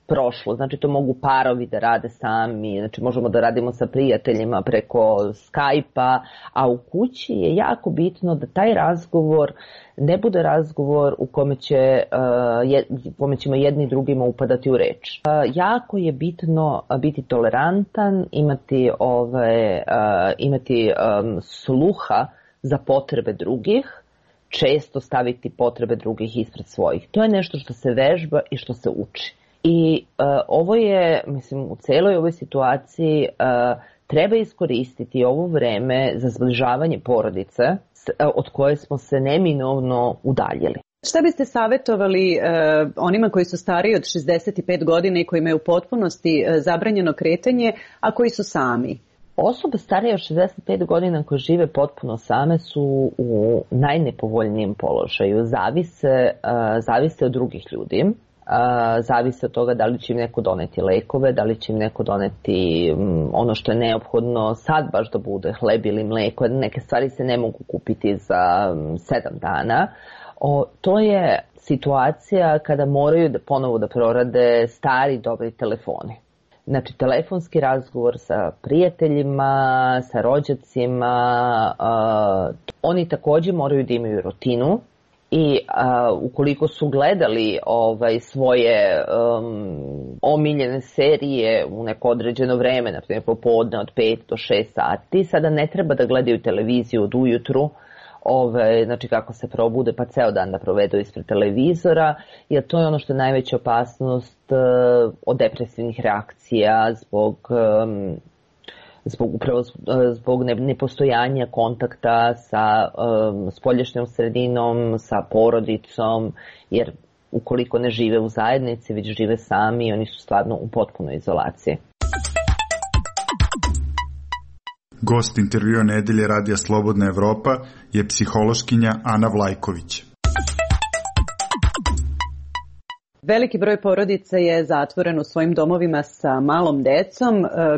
prošlo. Znači to mogu parovi da rade sami, znači možemo da radimo sa prijateljima preko Skype-a, a u kući je jako bitno da taj razgovor ne bude razgovor u kome, će, uh, kome ćemo jedni drugima upadati u reč. Uh, jako je bitno biti tolerantan, imati, ove, uh, imati um, sluha za potrebe drugih, često staviti potrebe drugih ispred svojih. To je nešto što se vežba i što se uči. I uh, ovo je, mislim, u celoj ovoj situaciji uh, treba iskoristiti ovo vreme za zbližavanje porodice s, uh, od koje smo se neminovno udaljili. Šta biste savjetovali uh, onima koji su stariji od šezdeset pet godina i koji imaju u potpunosti uh, zabranjeno kretanje, a koji su sami? Osobe starije od šezdeset pet godina koje žive potpuno same su u najnepovoljnijem položaju. Zavise, uh, zavise od drugih ljudi. Uh, zavise od toga da li će im neko doneti lekove, da li će im neko doneti um, ono što je neophodno sad baš da bude hleb ili mleko. Neke stvari se ne mogu kupiti za um, sedam dana. O, to je situacija kada moraju da ponovo da prorade stari dobri telefoni. Znači, telefonski razgovor sa prijateljima, sa rođacima, uh, oni također moraju da imaju rutinu i uh, ukoliko su gledali ovaj, svoje um, omiljene serije u neko određeno vreme, na primjer popodne od pet do šest sati, sada ne treba da gledaju televiziju od ujutru, Ove, znači kako se probude pa ceo dan da provedu ispred televizora, jer to je ono što je najveća opasnost uh, od depresivnih reakcija zbog, um, zbog, upravo, zbog ne, nepostojanja kontakta sa um, spoljašnjom sredinom, sa porodicom, jer ukoliko ne žive u zajednici, već žive sami, oni su stvarno u potpunoj izolaciji. Gost intervjua nedelje Radija Slobodna Evropa je psihološkinja Ana Vlajković. Veliki broj porodica je zatvoren u svojim domovima sa malom decom.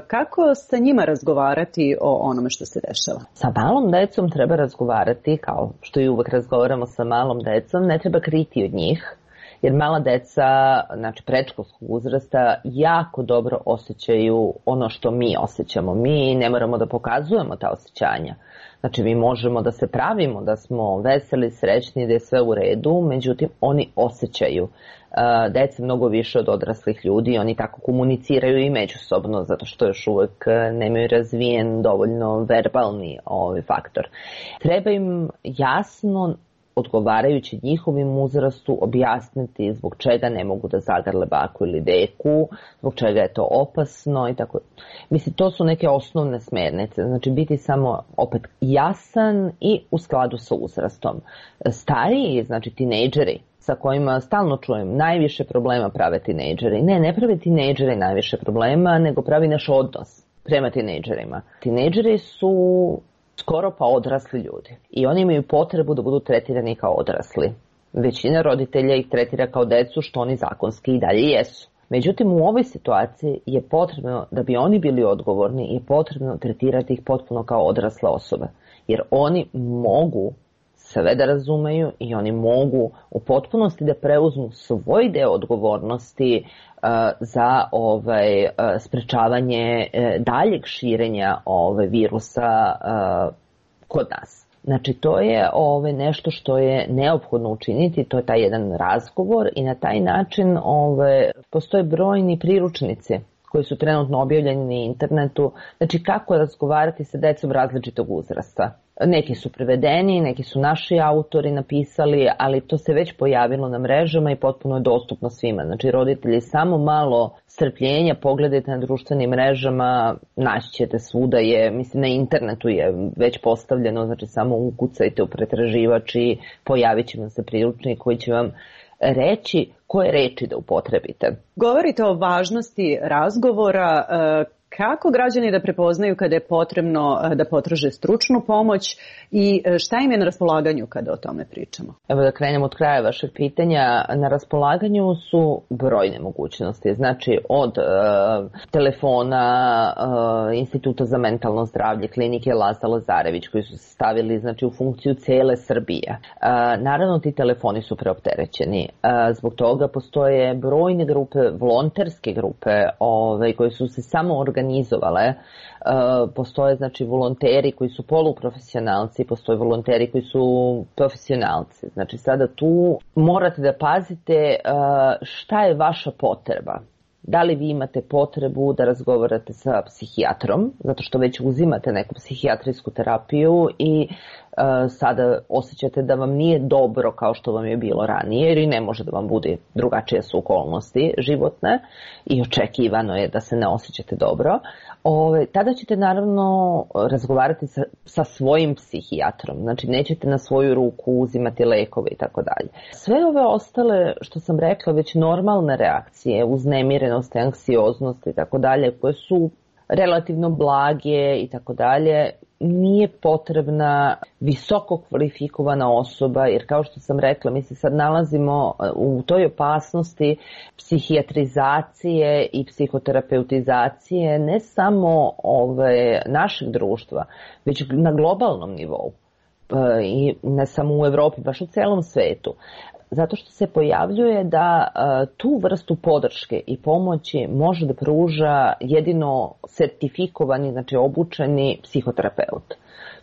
Kako sa njima razgovarati o onome što se dešava? Sa malom decom treba razgovarati, kao što i uvek razgovaramo sa malom decom, ne treba kriti od njih. Jer mala deca, znači predškolskog uzrasta, jako dobro osjećaju ono što mi osjećamo. Mi ne moramo da pokazujemo ta osjećanja. Znači mi možemo da se pravimo da smo veseli, srećni, da je sve u redu, međutim oni osjećaju. Deca mnogo više od odraslih ljudi, oni tako komuniciraju i međusobno, zato što još uvek nemaju razvijen dovoljno verbalni ovaj faktor. Treba im jasno, odgovarajući njihovim uzrastu, objasniti zbog čega ne mogu da zagrle baku ili deku, zbog čega je to opasno i tako. Mislim, to su neke osnovne smernice. Znači, biti samo opet jasan i u skladu sa uzrastom. Stariji, znači tinejdžeri, sa kojima stalno čujem, najviše problema prave tinejdžeri. Ne, ne prave tinejdžeri najviše problema, nego pravi naš odnos prema tinejdžerima. Tinejdžeri su skoro pa odrasli ljudi i oni imaju potrebu da budu tretirani kao odrasli. Većina roditelja ih tretira kao decu, što oni zakonski i dalje jesu. Međutim, u ovoj situaciji je potrebno, da bi oni bili odgovorni, je potrebno tretirati ih potpuno kao odrasle osobe. Jer oni mogu sve da razumeju i oni mogu u potpunosti da preuzmu svoj deo odgovornosti uh, za ovaj, uh, sprečavanje uh, daljeg širenja ovaj, virusa uh, kod nas. Znači, to je ovaj, nešto što je neophodno učiniti, to je taj jedan razgovor i na taj način ovaj, postoje brojni priručnici koji su trenutno objavljeni na internetu, znači kako razgovarati sa decom različitog uzrasta. Neki su prevedeni, neki su naši autori napisali, ali to se već pojavilo na mrežama i potpuno je dostupno svima. Znači, roditelji, samo malo strpljenja, pogledajte na društvenim mrežama, naći ćete svuda je, mislim na internetu je već postavljeno, znači samo ukucajte u pretraživač i pojavit će vam se priručnik koji će vam reći koje reči da upotrebite. Govorite o važnosti razgovora. Kako građani da prepoznaju kada je potrebno da potraže stručnu pomoć i šta im je na raspolaganju kada o tome pričamo? Evo da krenemo od kraja vašeg pitanja. Na raspolaganju su brojne mogućnosti. Znači od e, telefona e, Instituta za mentalno zdravlje, klinike Laza Lazarević koji su se stavili znači, u funkciju cele Srbije. E, naravno ti telefoni su preopterećeni. E, zbog toga postoje brojne grupe, volonterske grupe ove, koje su se samo organizovale. Uh, postoje znači volonteri koji su poluprofesionalci, postoje volonteri koji su profesionalci. Znači sada tu morate da pazite uh, šta je vaša potreba. Da li vi imate potrebu da razgovarate sa psihijatrom, zato što već uzimate neku psihijatrijsku terapiju i uh, sada osjećate da vam nije dobro kao što vam je bilo ranije, jer i ne može da vam bude drugačije su okolnosti životne i očekivano je da se ne osjećate dobro. Ove, tada ćete naravno razgovarati sa, sa svojim psihijatrom, znači nećete na svoju ruku uzimati lekove i tako dalje. Sve ove ostale, što sam rekla, već normalne reakcije, uznemirenost, anksioznost i tako dalje, koje su relativno blage i tako dalje, nije potrebna visoko kvalifikovana osoba, jer kao što sam rekla, mi se sad nalazimo u toj opasnosti psihijatrizacije i psihoterapeutizacije ne samo ove našeg društva, već na globalnom nivou i ne samo u Evropi, baš u celom svetu. Zato što se pojavljuje da uh, tu vrstu podrške i pomoći može da pruža jedino sertifikovani, znači obučeni psihoterapeut.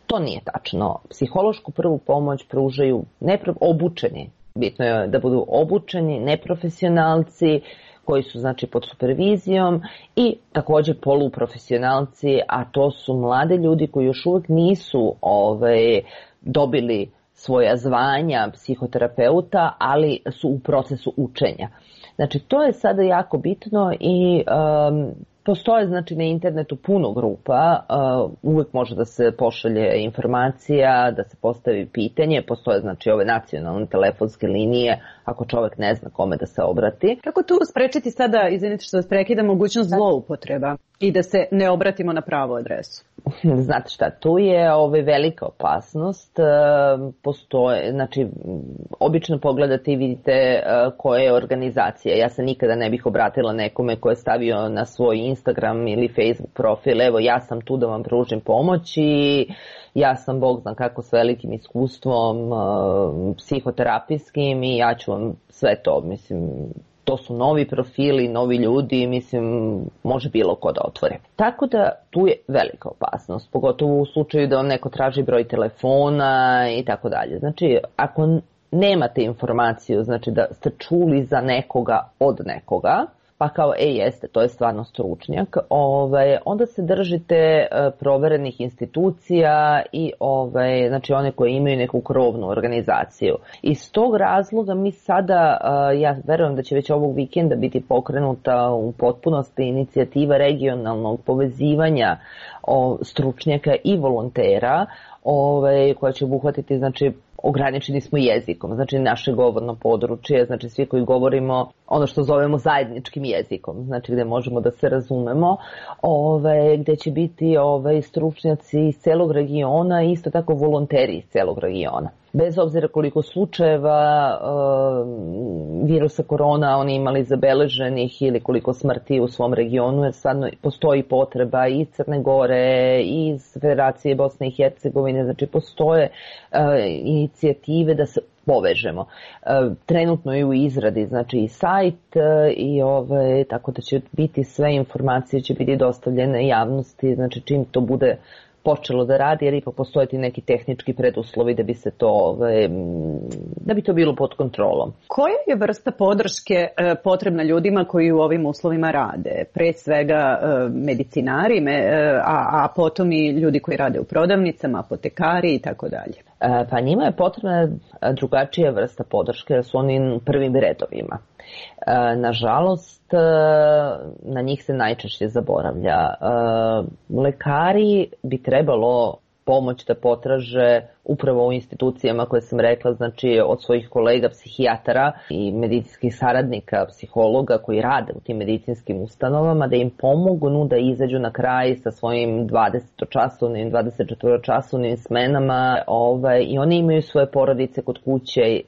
To nije tačno. Psihološku prvu pomoć pružaju nepro, obučeni. Bitno je da budu obučeni, neprofesionalci koji su znači pod supervizijom i također poluprofesionalci, a to su mlade ljudi koji još uvijek nisu ovaj, dobili svoja zvanja psihoterapeuta, ali su u procesu učenja. Znači, to je sada jako bitno i um, postoje znači na internetu puno grupa, uh, uvijek može da se pošalje informacija, da se postavi pitanje, postoje znači ove nacionalne telefonske linije, ako čovjek ne zna kome da se obrati. Kako tu sprečiti sada, izvinite što vas prekida, mogućnost zloupotreba i da se ne obratimo na pravu adresu? Znate šta, tu je ovaj velika opasnost, postoje, znači obično pogledate i vidite koja je organizacija. Ja se nikada ne bih obratila nekome ko je stavio na svoj Instagram ili Facebook profil, evo ja sam tu da vam pružim pomoć i ja sam Bog zna kako s velikim iskustvom psihoterapijskim i ja ću vam sve to, mislim, to su novi profili, novi ljudi, mislim, može bilo ko da otvore. Tako da tu je velika opasnost, pogotovo u slučaju da vam neko traži broj telefona i tako dalje. Znači, ako nemate informaciju, znači da ste čuli za nekoga od nekoga, pa kao, e, jeste, to je stvarno stručnjak, ovaj, onda se držite e, proverenih institucija i ovaj, znači one koje imaju neku krovnu organizaciju. Iz tog razloga mi sada, e, ja verujem da će već ovog vikenda biti pokrenuta u potpunosti inicijativa regionalnog povezivanja o, stručnjaka i volontera, ovaj, koja će obuhvatiti, znači, ograničeni smo jezikom, znači naše govorno područje, znači svi koji govorimo ono što zovemo zajedničkim jezikom, znači gde možemo da se razumemo, ove, gde će biti ove, stručnjaci iz celog regiona i isto tako volonteri iz celog regiona. Bez obzira koliko slučajeva e, virusa korona oni imali zabeleženih ili koliko smrti u svom regionu, jer stvarno postoji potreba i iz Crne Gore, i iz Federacije Bosne i Hercegovine, znači postoje e, inicijative da se povežemo. E, trenutno je u izradi, znači i sajt e, i ove, tako da će biti sve informacije će biti dostavljene javnosti, znači čim to bude počelo da radi, jer ipak postoje ti neki tehnički preduslovi da bi se to, da bi to bilo pod kontrolom. Koja je vrsta podrške potrebna ljudima koji u ovim uslovima rade? Pre svega medicinari, a, a potom i ljudi koji rade u prodavnicama, apotekari i tako dalje. Pa njima je potrebna drugačija vrsta podrške, jer su oni u prvim redovima. Nažalost, na njih se najčešće zaboravlja. Lekari bi trebalo pomoć da potraže upravo u institucijama koje sam rekla, znači od svojih kolega psihijatara i medicinskih saradnika, psihologa koji rade u tim medicinskim ustanovama, da im pomognu da izađu na kraj sa svojim dvadesetočasovnim, dvadesetčetvoročasovnim smenama, ovaj, i oni imaju svoje porodice kod kuće, e,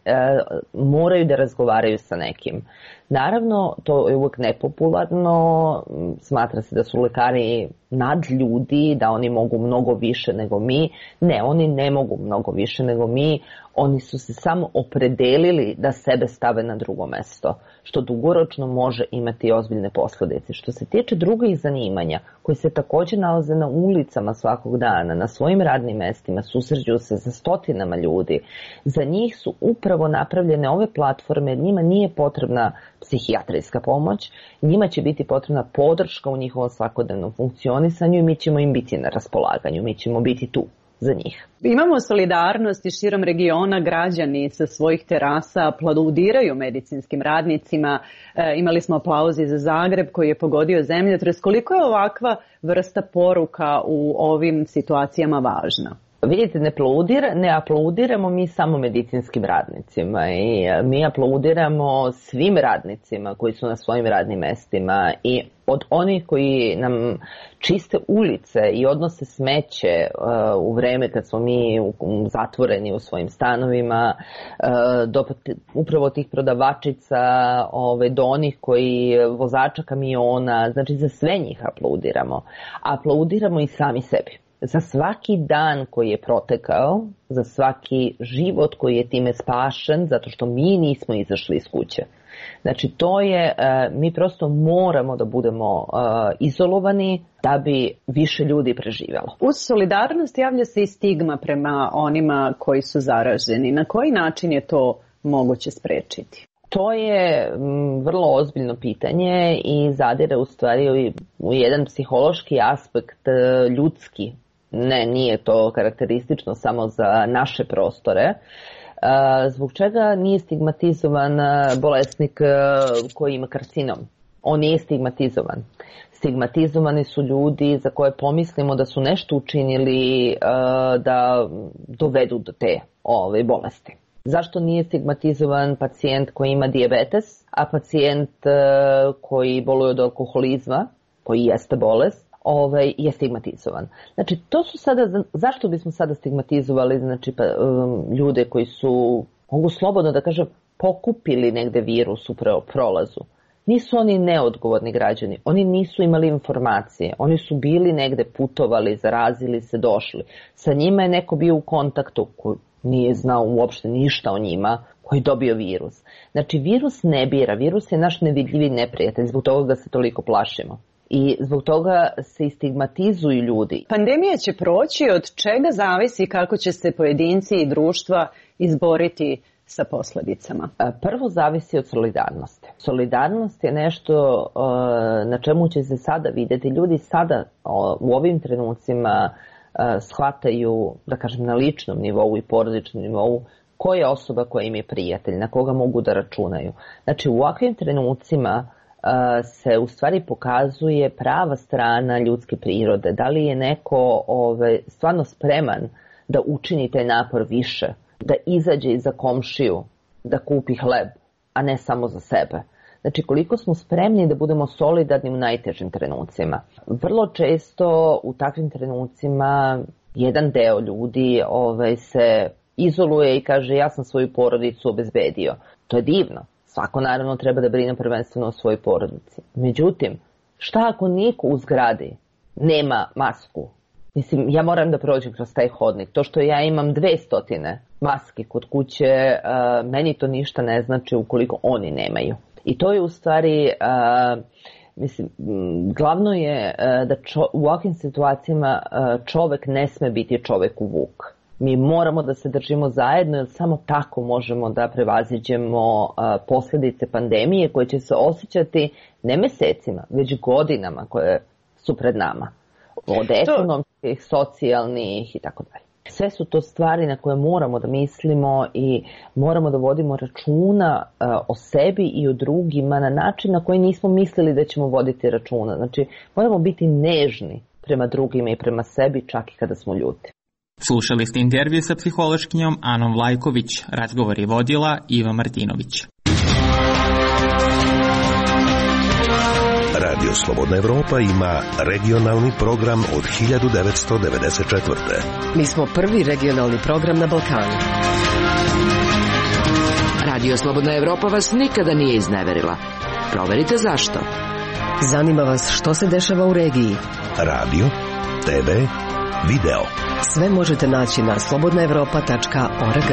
moraju da razgovaraju sa nekim. Naravno, to je uvek nepopularno, smatra se da su lekari nadljudi, da oni mogu mnogo više nego mi. Ne, oni ne mogu mnogo više nego mi, oni su se samo opredelili da sebe stave na drugo mesto, što dugoročno može imati ozbiljne posledice. Što se tiče drugih zanimanja, koji se također nalaze na ulicama svakog dana, na svojim radnim mestima, susreću se sa stotinama ljudi, za njih su upravo napravljene ove platforme, jer njima nije potrebna psihijatrijska pomoć, njima će biti potrebna podrška u njihovom svakodnevnom funkcionisanju i mi ćemo im biti na raspolaganju, mi ćemo biti tu za njih. Imamo solidarnost i širom regiona, građani sa svojih terasa aplaudiraju medicinskim radnicima. E, imali smo aplauzi za Zagreb koji je pogodio zemljotres. Koliko je ovakva vrsta poruka u ovim situacijama važna? Vidite, ne, aplaudir, ne aplaudiramo mi samo medicinskim radnicima i mi aplaudiramo svim radnicima koji su na svojim radnim mestima i od onih koji nam čiste ulice i odnose smeće uh, u vreme kad smo mi u, u, zatvoreni u svojim stanovima, uh, do upravo tih prodavačica, ove, do onih koji vozača kamiona, znači za sve njih aplaudiramo. Aplaudiramo i sami sebi. Za svaki dan koji je protekao, za svaki život koji je time spašen, zato što mi nismo izašli iz kuće. Znači to je, mi prosto moramo da budemo izolovani da bi više ljudi preživjelo. Uz solidarnost javlja se i stigma prema onima koji su zaraženi. Na koji način je to moguće sprečiti? To je vrlo ozbiljno pitanje i zadire u stvari u jedan psihološki aspekt ljudski. Ne, nije to karakteristično samo za naše prostore. Zbog čega nije stigmatizovan bolesnik koji ima karcinom? On nije stigmatizovan. Stigmatizovani su ljudi za koje pomislimo da su nešto učinili da dovedu do te ove bolesti. Zašto nije stigmatizovan pacijent koji ima dijabetes, a pacijent koji boluje od alkoholizma, koji jeste bolest, ovaj, je stigmatizovan? Znači, to su sada, zašto bismo sada stigmatizovali znači, pa, um, ljude koji su, mogu slobodno da kažem, pokupili negde virus u prolazu? Nisu oni neodgovorni građani, oni nisu imali informacije, oni su bili negde putovali, zarazili se, došli. Sa njima je neko bio u kontaktu koji nije znao uopšte ništa o njima, koji je dobio virus. Znači, virus ne bira, virus je naš nevidljivi neprijatelj, zbog toga ga se toliko plašimo. I zbog toga se i stigmatizuju ljudi. Pandemija će proći, od čega zavisi kako će se pojedinci i društva izboriti sa posljedicama? Prvo zavisi od solidarnosti. Solidarnost je nešto na čemu će se sada vidjeti. Ljudi sada u ovim trenucima shvataju, da kažem, na ličnom nivou i porodičnom nivou ko je osoba koja im je prijatelj, na koga mogu da računaju. Znači, u ovakvim trenucima se u stvari pokazuje prava strana ljudske prirode. Da li je neko ove, stvarno spreman da učini taj napor više, da izađe iza komšiju, da kupi hleb, a ne samo za sebe. Znači, koliko smo spremni da budemo solidarni u najtežim trenucima. Vrlo često u takvim trenucima jedan deo ljudi ove, se izoluje i kaže ja sam svoju porodicu obezbedio. To je divno. Svako naravno treba da brine prvenstveno o svojoj porodici. Međutim, šta ako niko u zgradi nema masku? Mislim, ja moram da prođem kroz taj hodnik. To što ja imam dve stotine maske kod kuće, uh, meni to ništa ne znači ukoliko oni nemaju. I to je u stvari, uh, mislim, glavno je uh, da čo, u ovakvim situacijama uh, čovek ne sme biti čovek u vuk. Mi moramo da se držimo zajedno, jer samo tako možemo da prevaziđemo uh, posljedice pandemije koje će se osjećati ne mesecima, već godinama koje su pred nama. Od ekonomskih, socijalnih i tako dalje. Sve su to stvari na koje moramo da mislimo i moramo da vodimo računa uh, o sebi i o drugima na način na koji nismo mislili da ćemo voditi računa. Znači, moramo biti nežni prema drugima i prema sebi čak i kada smo ljuti. Slušali ste intervju sa psihološkinjom Anom Vlajković. Razgovor je vodila Iva Martinović. Radio Slobodna Evropa ima regionalni program od hiljadu devetsto devedeset četvrte. Mi smo prvi regionalni program na Balkanu. Radio Slobodna Evropa vas nikada nije izneverila. Proverite zašto. Zanima vas što se dešava u regiji. Radio, te ve, video. Sve možete naći na slobodna evropa tačka org.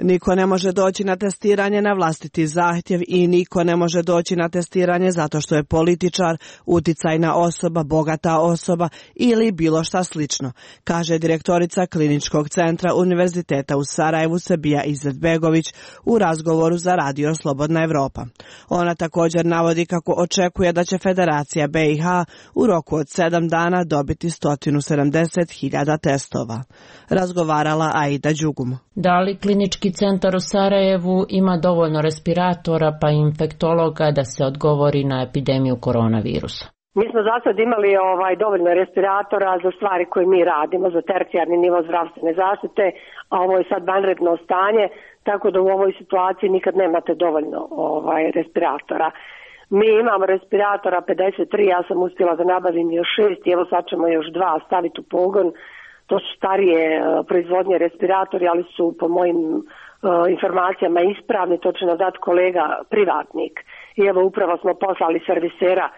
Niko ne može doći na testiranje na vlastiti zahtjev i niko ne može doći na testiranje zato što je političar, uticajna osoba, bogata osoba ili bilo šta slično, kaže direktorica Kliničkog centra Univerziteta u Sarajevu Sabija Izetbegović u razgovoru za Radio Slobodna Evropa. Ona također navodi kako očekuje da će Federacija be i ha u roku od sedam dana dobiti sto sedamdeset hiljada testova. Razgovarala Aida Đugum. Da li Klinički centar u Sarajevu ima dovoljno respiratora pa infektologa da se odgovori na epidemiju koronavirusa? Mi smo za sad imali ovaj, dovoljno respiratora za stvari koje mi radimo, za tercijarni nivo zdravstvene zaštite, a ovo je sad vanredno stanje, tako da u ovoj situaciji nikad nemate dovoljno ovaj, respiratora. Mi imamo respiratora pedeset tri, ja sam uspjela da nabavim još šest i evo sad ćemo još dva staviti u pogon. To su starije proizvodnje respiratori, ali su po mojim uh, informacijama ispravni, to će nam dati kolega privatnik. I evo upravo smo poslali servisera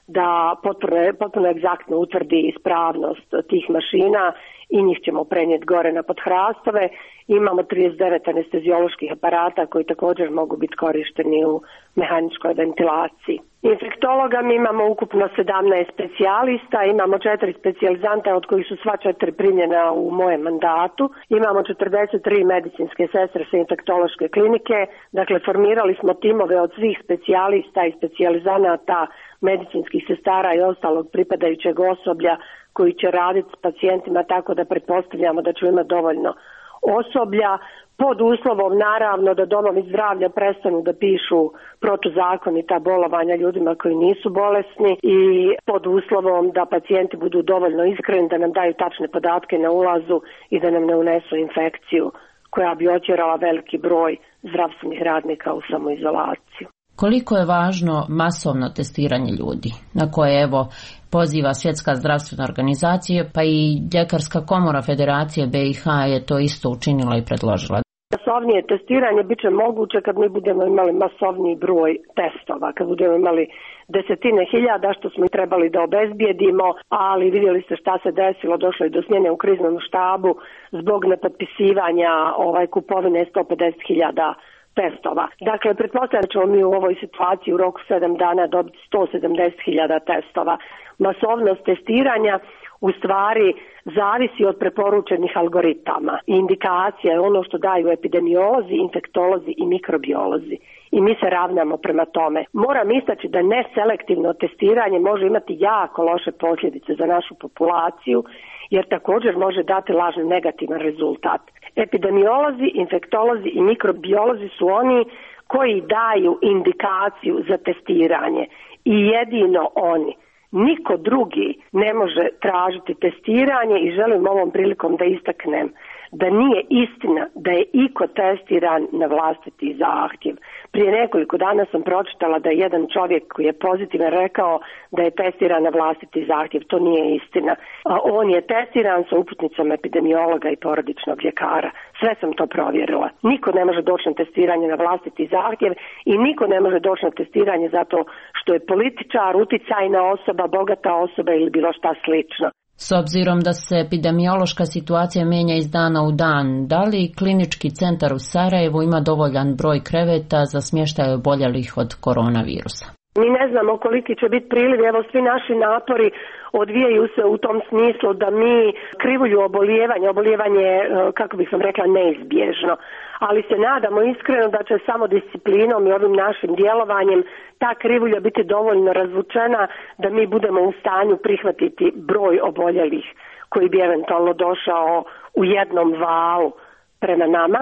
da potpuno, potpuno egzaktno utvrdi ispravnost tih mašina i njih ćemo prenijeti gore na Podhrastove. Imamo trideset devet anestezioloških aparata koji također mogu biti korišteni u mehaničkoj ventilaciji. Infektologa mi imamo ukupno sedamnaest specijalista, imamo četiri specijalizanta od kojih su sva četiri primljena u mojem mandatu. Imamo četrdeset tri medicinske sestre sa infektološke klinike, dakle formirali smo timove od svih specijalista i specijalizanata, medicinskih sestara i ostalog pripadajućeg osoblja koji će raditi s pacijentima, tako da pretpostavljamo da ću imati dovoljno osoblja, pod uslovom naravno da domovi zdravlja prestanu da pišu protuzakonita bolovanja ljudima koji nisu bolesni i pod uslovom da pacijenti budu dovoljno iskreni da nam daju tačne podatke na ulazu i da nam ne unesu infekciju koja bi otjerala veliki broj zdravstvenih radnika u samoizolaciju. Koliko je važno masovno testiranje ljudi, na koje evo poziva Svjetska zdravstvena organizacija, pa i Ljekarska komora Federacije be i ha je to isto učinila i predložila. Masovnije testiranje bit će moguće kad mi budemo imali masovniji broj testova, kad budemo imali desetine hiljada što smo trebali da obezbijedimo, ali vidjeli ste šta se desilo, došlo je do smjene u kriznom štabu zbog nepotpisivanja ovaj, kupovine sto pedeset hiljada testova. Dakle, pretpostavljam da ćemo mi u ovoj situaciji u roku sedam dana dobiti sto sedamdeset hiljada testova. Masovnost testiranja u stvari zavisi od preporučenih algoritama i indikacija je ono što daju epidemiolozi, infektolozi i mikrobiolozi. I mi se ravnamo prema tome. Moram istaći da neselektivno testiranje može imati jako loše posljedice za našu populaciju, jer također može dati lažni negativan rezultat. Epidemiolozi, infektolozi i mikrobiolozi su oni koji daju indikaciju za testiranje i jedino oni. Niko drugi ne može tražiti testiranje i želim ovom prilikom da istaknem da nije istina da je iko testiran na vlastiti zahtjev. Prije nekoliko dana sam pročitala da je jedan čovjek koji je pozitivan rekao da je testiran na vlastiti zahtjev. To nije istina. On je testiran sa uputnicom epidemiologa i porodičnog ljekara. Sve sam to provjerila. Niko ne može doći na testiranje na vlastiti zahtjev i niko ne može doći na testiranje zato što je političar, uticajna osoba, bogata osoba ili bilo šta slično. S obzirom da se epidemiološka situacija mijenja iz dana u dan, da li Klinički centar u Sarajevu ima dovoljan broj kreveta za smještaj oboljelih od koronavirusa? Mi ne znamo koliki će biti priliv, evo svi naši napori odvijaju se u tom smislu da mi krivulju obolijevanja, obolijevanje, kako bih vam rekla, neizbježno, ali se nadamo iskreno da će samo disciplinom i ovim našim djelovanjem ta krivulja biti dovoljno razvučena da mi budemo u stanju prihvatiti broj oboljelih koji bi eventualno došao u jednom valu prema nama.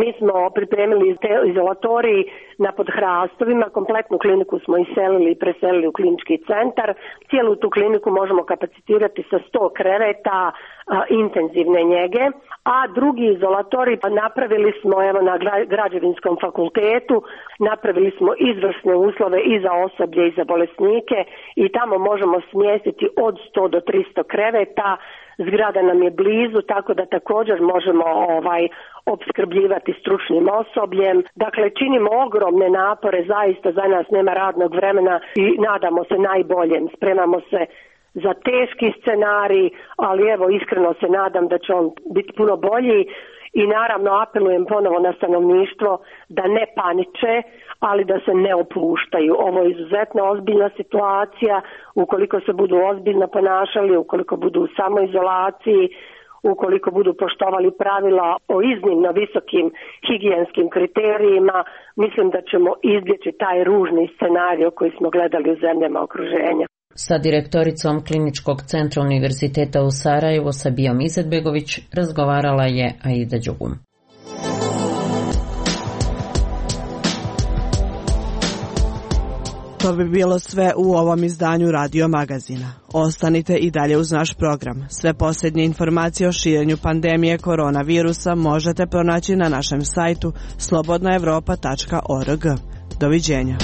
Mi smo pripremili te izolatoriji na Podhrastovima, kompletnu kliniku smo iselili i preselili u klinički centar. Cijelu tu kliniku možemo kapacitirati sa sto kreveta a, intenzivne njege, a drugi izolatorij napravili smo evo na Građevinskom fakultetu, napravili smo izvrsne uslove i za osoblje i za bolesnike i tamo možemo smjestiti od sto do tristo kreveta. Zgrada nam je blizu, tako da također možemo ovaj opskrbljivati stručnim osobljem. Dakle, činimo ogromne napore, zaista za nas nema radnog vremena i nadamo se najboljem. Spremamo se za teški scenarij, ali evo iskreno se nadam da će on biti puno bolji. I naravno apelujem ponovo na stanovništvo da ne paniče, ali da se ne opuštaju. Ovo je izuzetno ozbiljna situacija, ukoliko se budu ozbiljno ponašali, ukoliko budu u samoizolaciji, ukoliko budu poštovali pravila o iznimno visokim higijenskim kriterijima, mislim da ćemo izbjeći taj ružni scenarij koji smo gledali u zemljama okruženja. Sa direktoricom Kliničkog centra Univerziteta u Sarajevu Sabijom Izetbegović razgovarala je Aida Đugum. To bi bilo sve u ovom izdanju Radio Magazina. Ostanite i dalje uz naš program. Sve posljednje informacije o širenju pandemije koronavirusa možete pronaći na našem sajtu slobodna evropa tačka org. Doviđenja.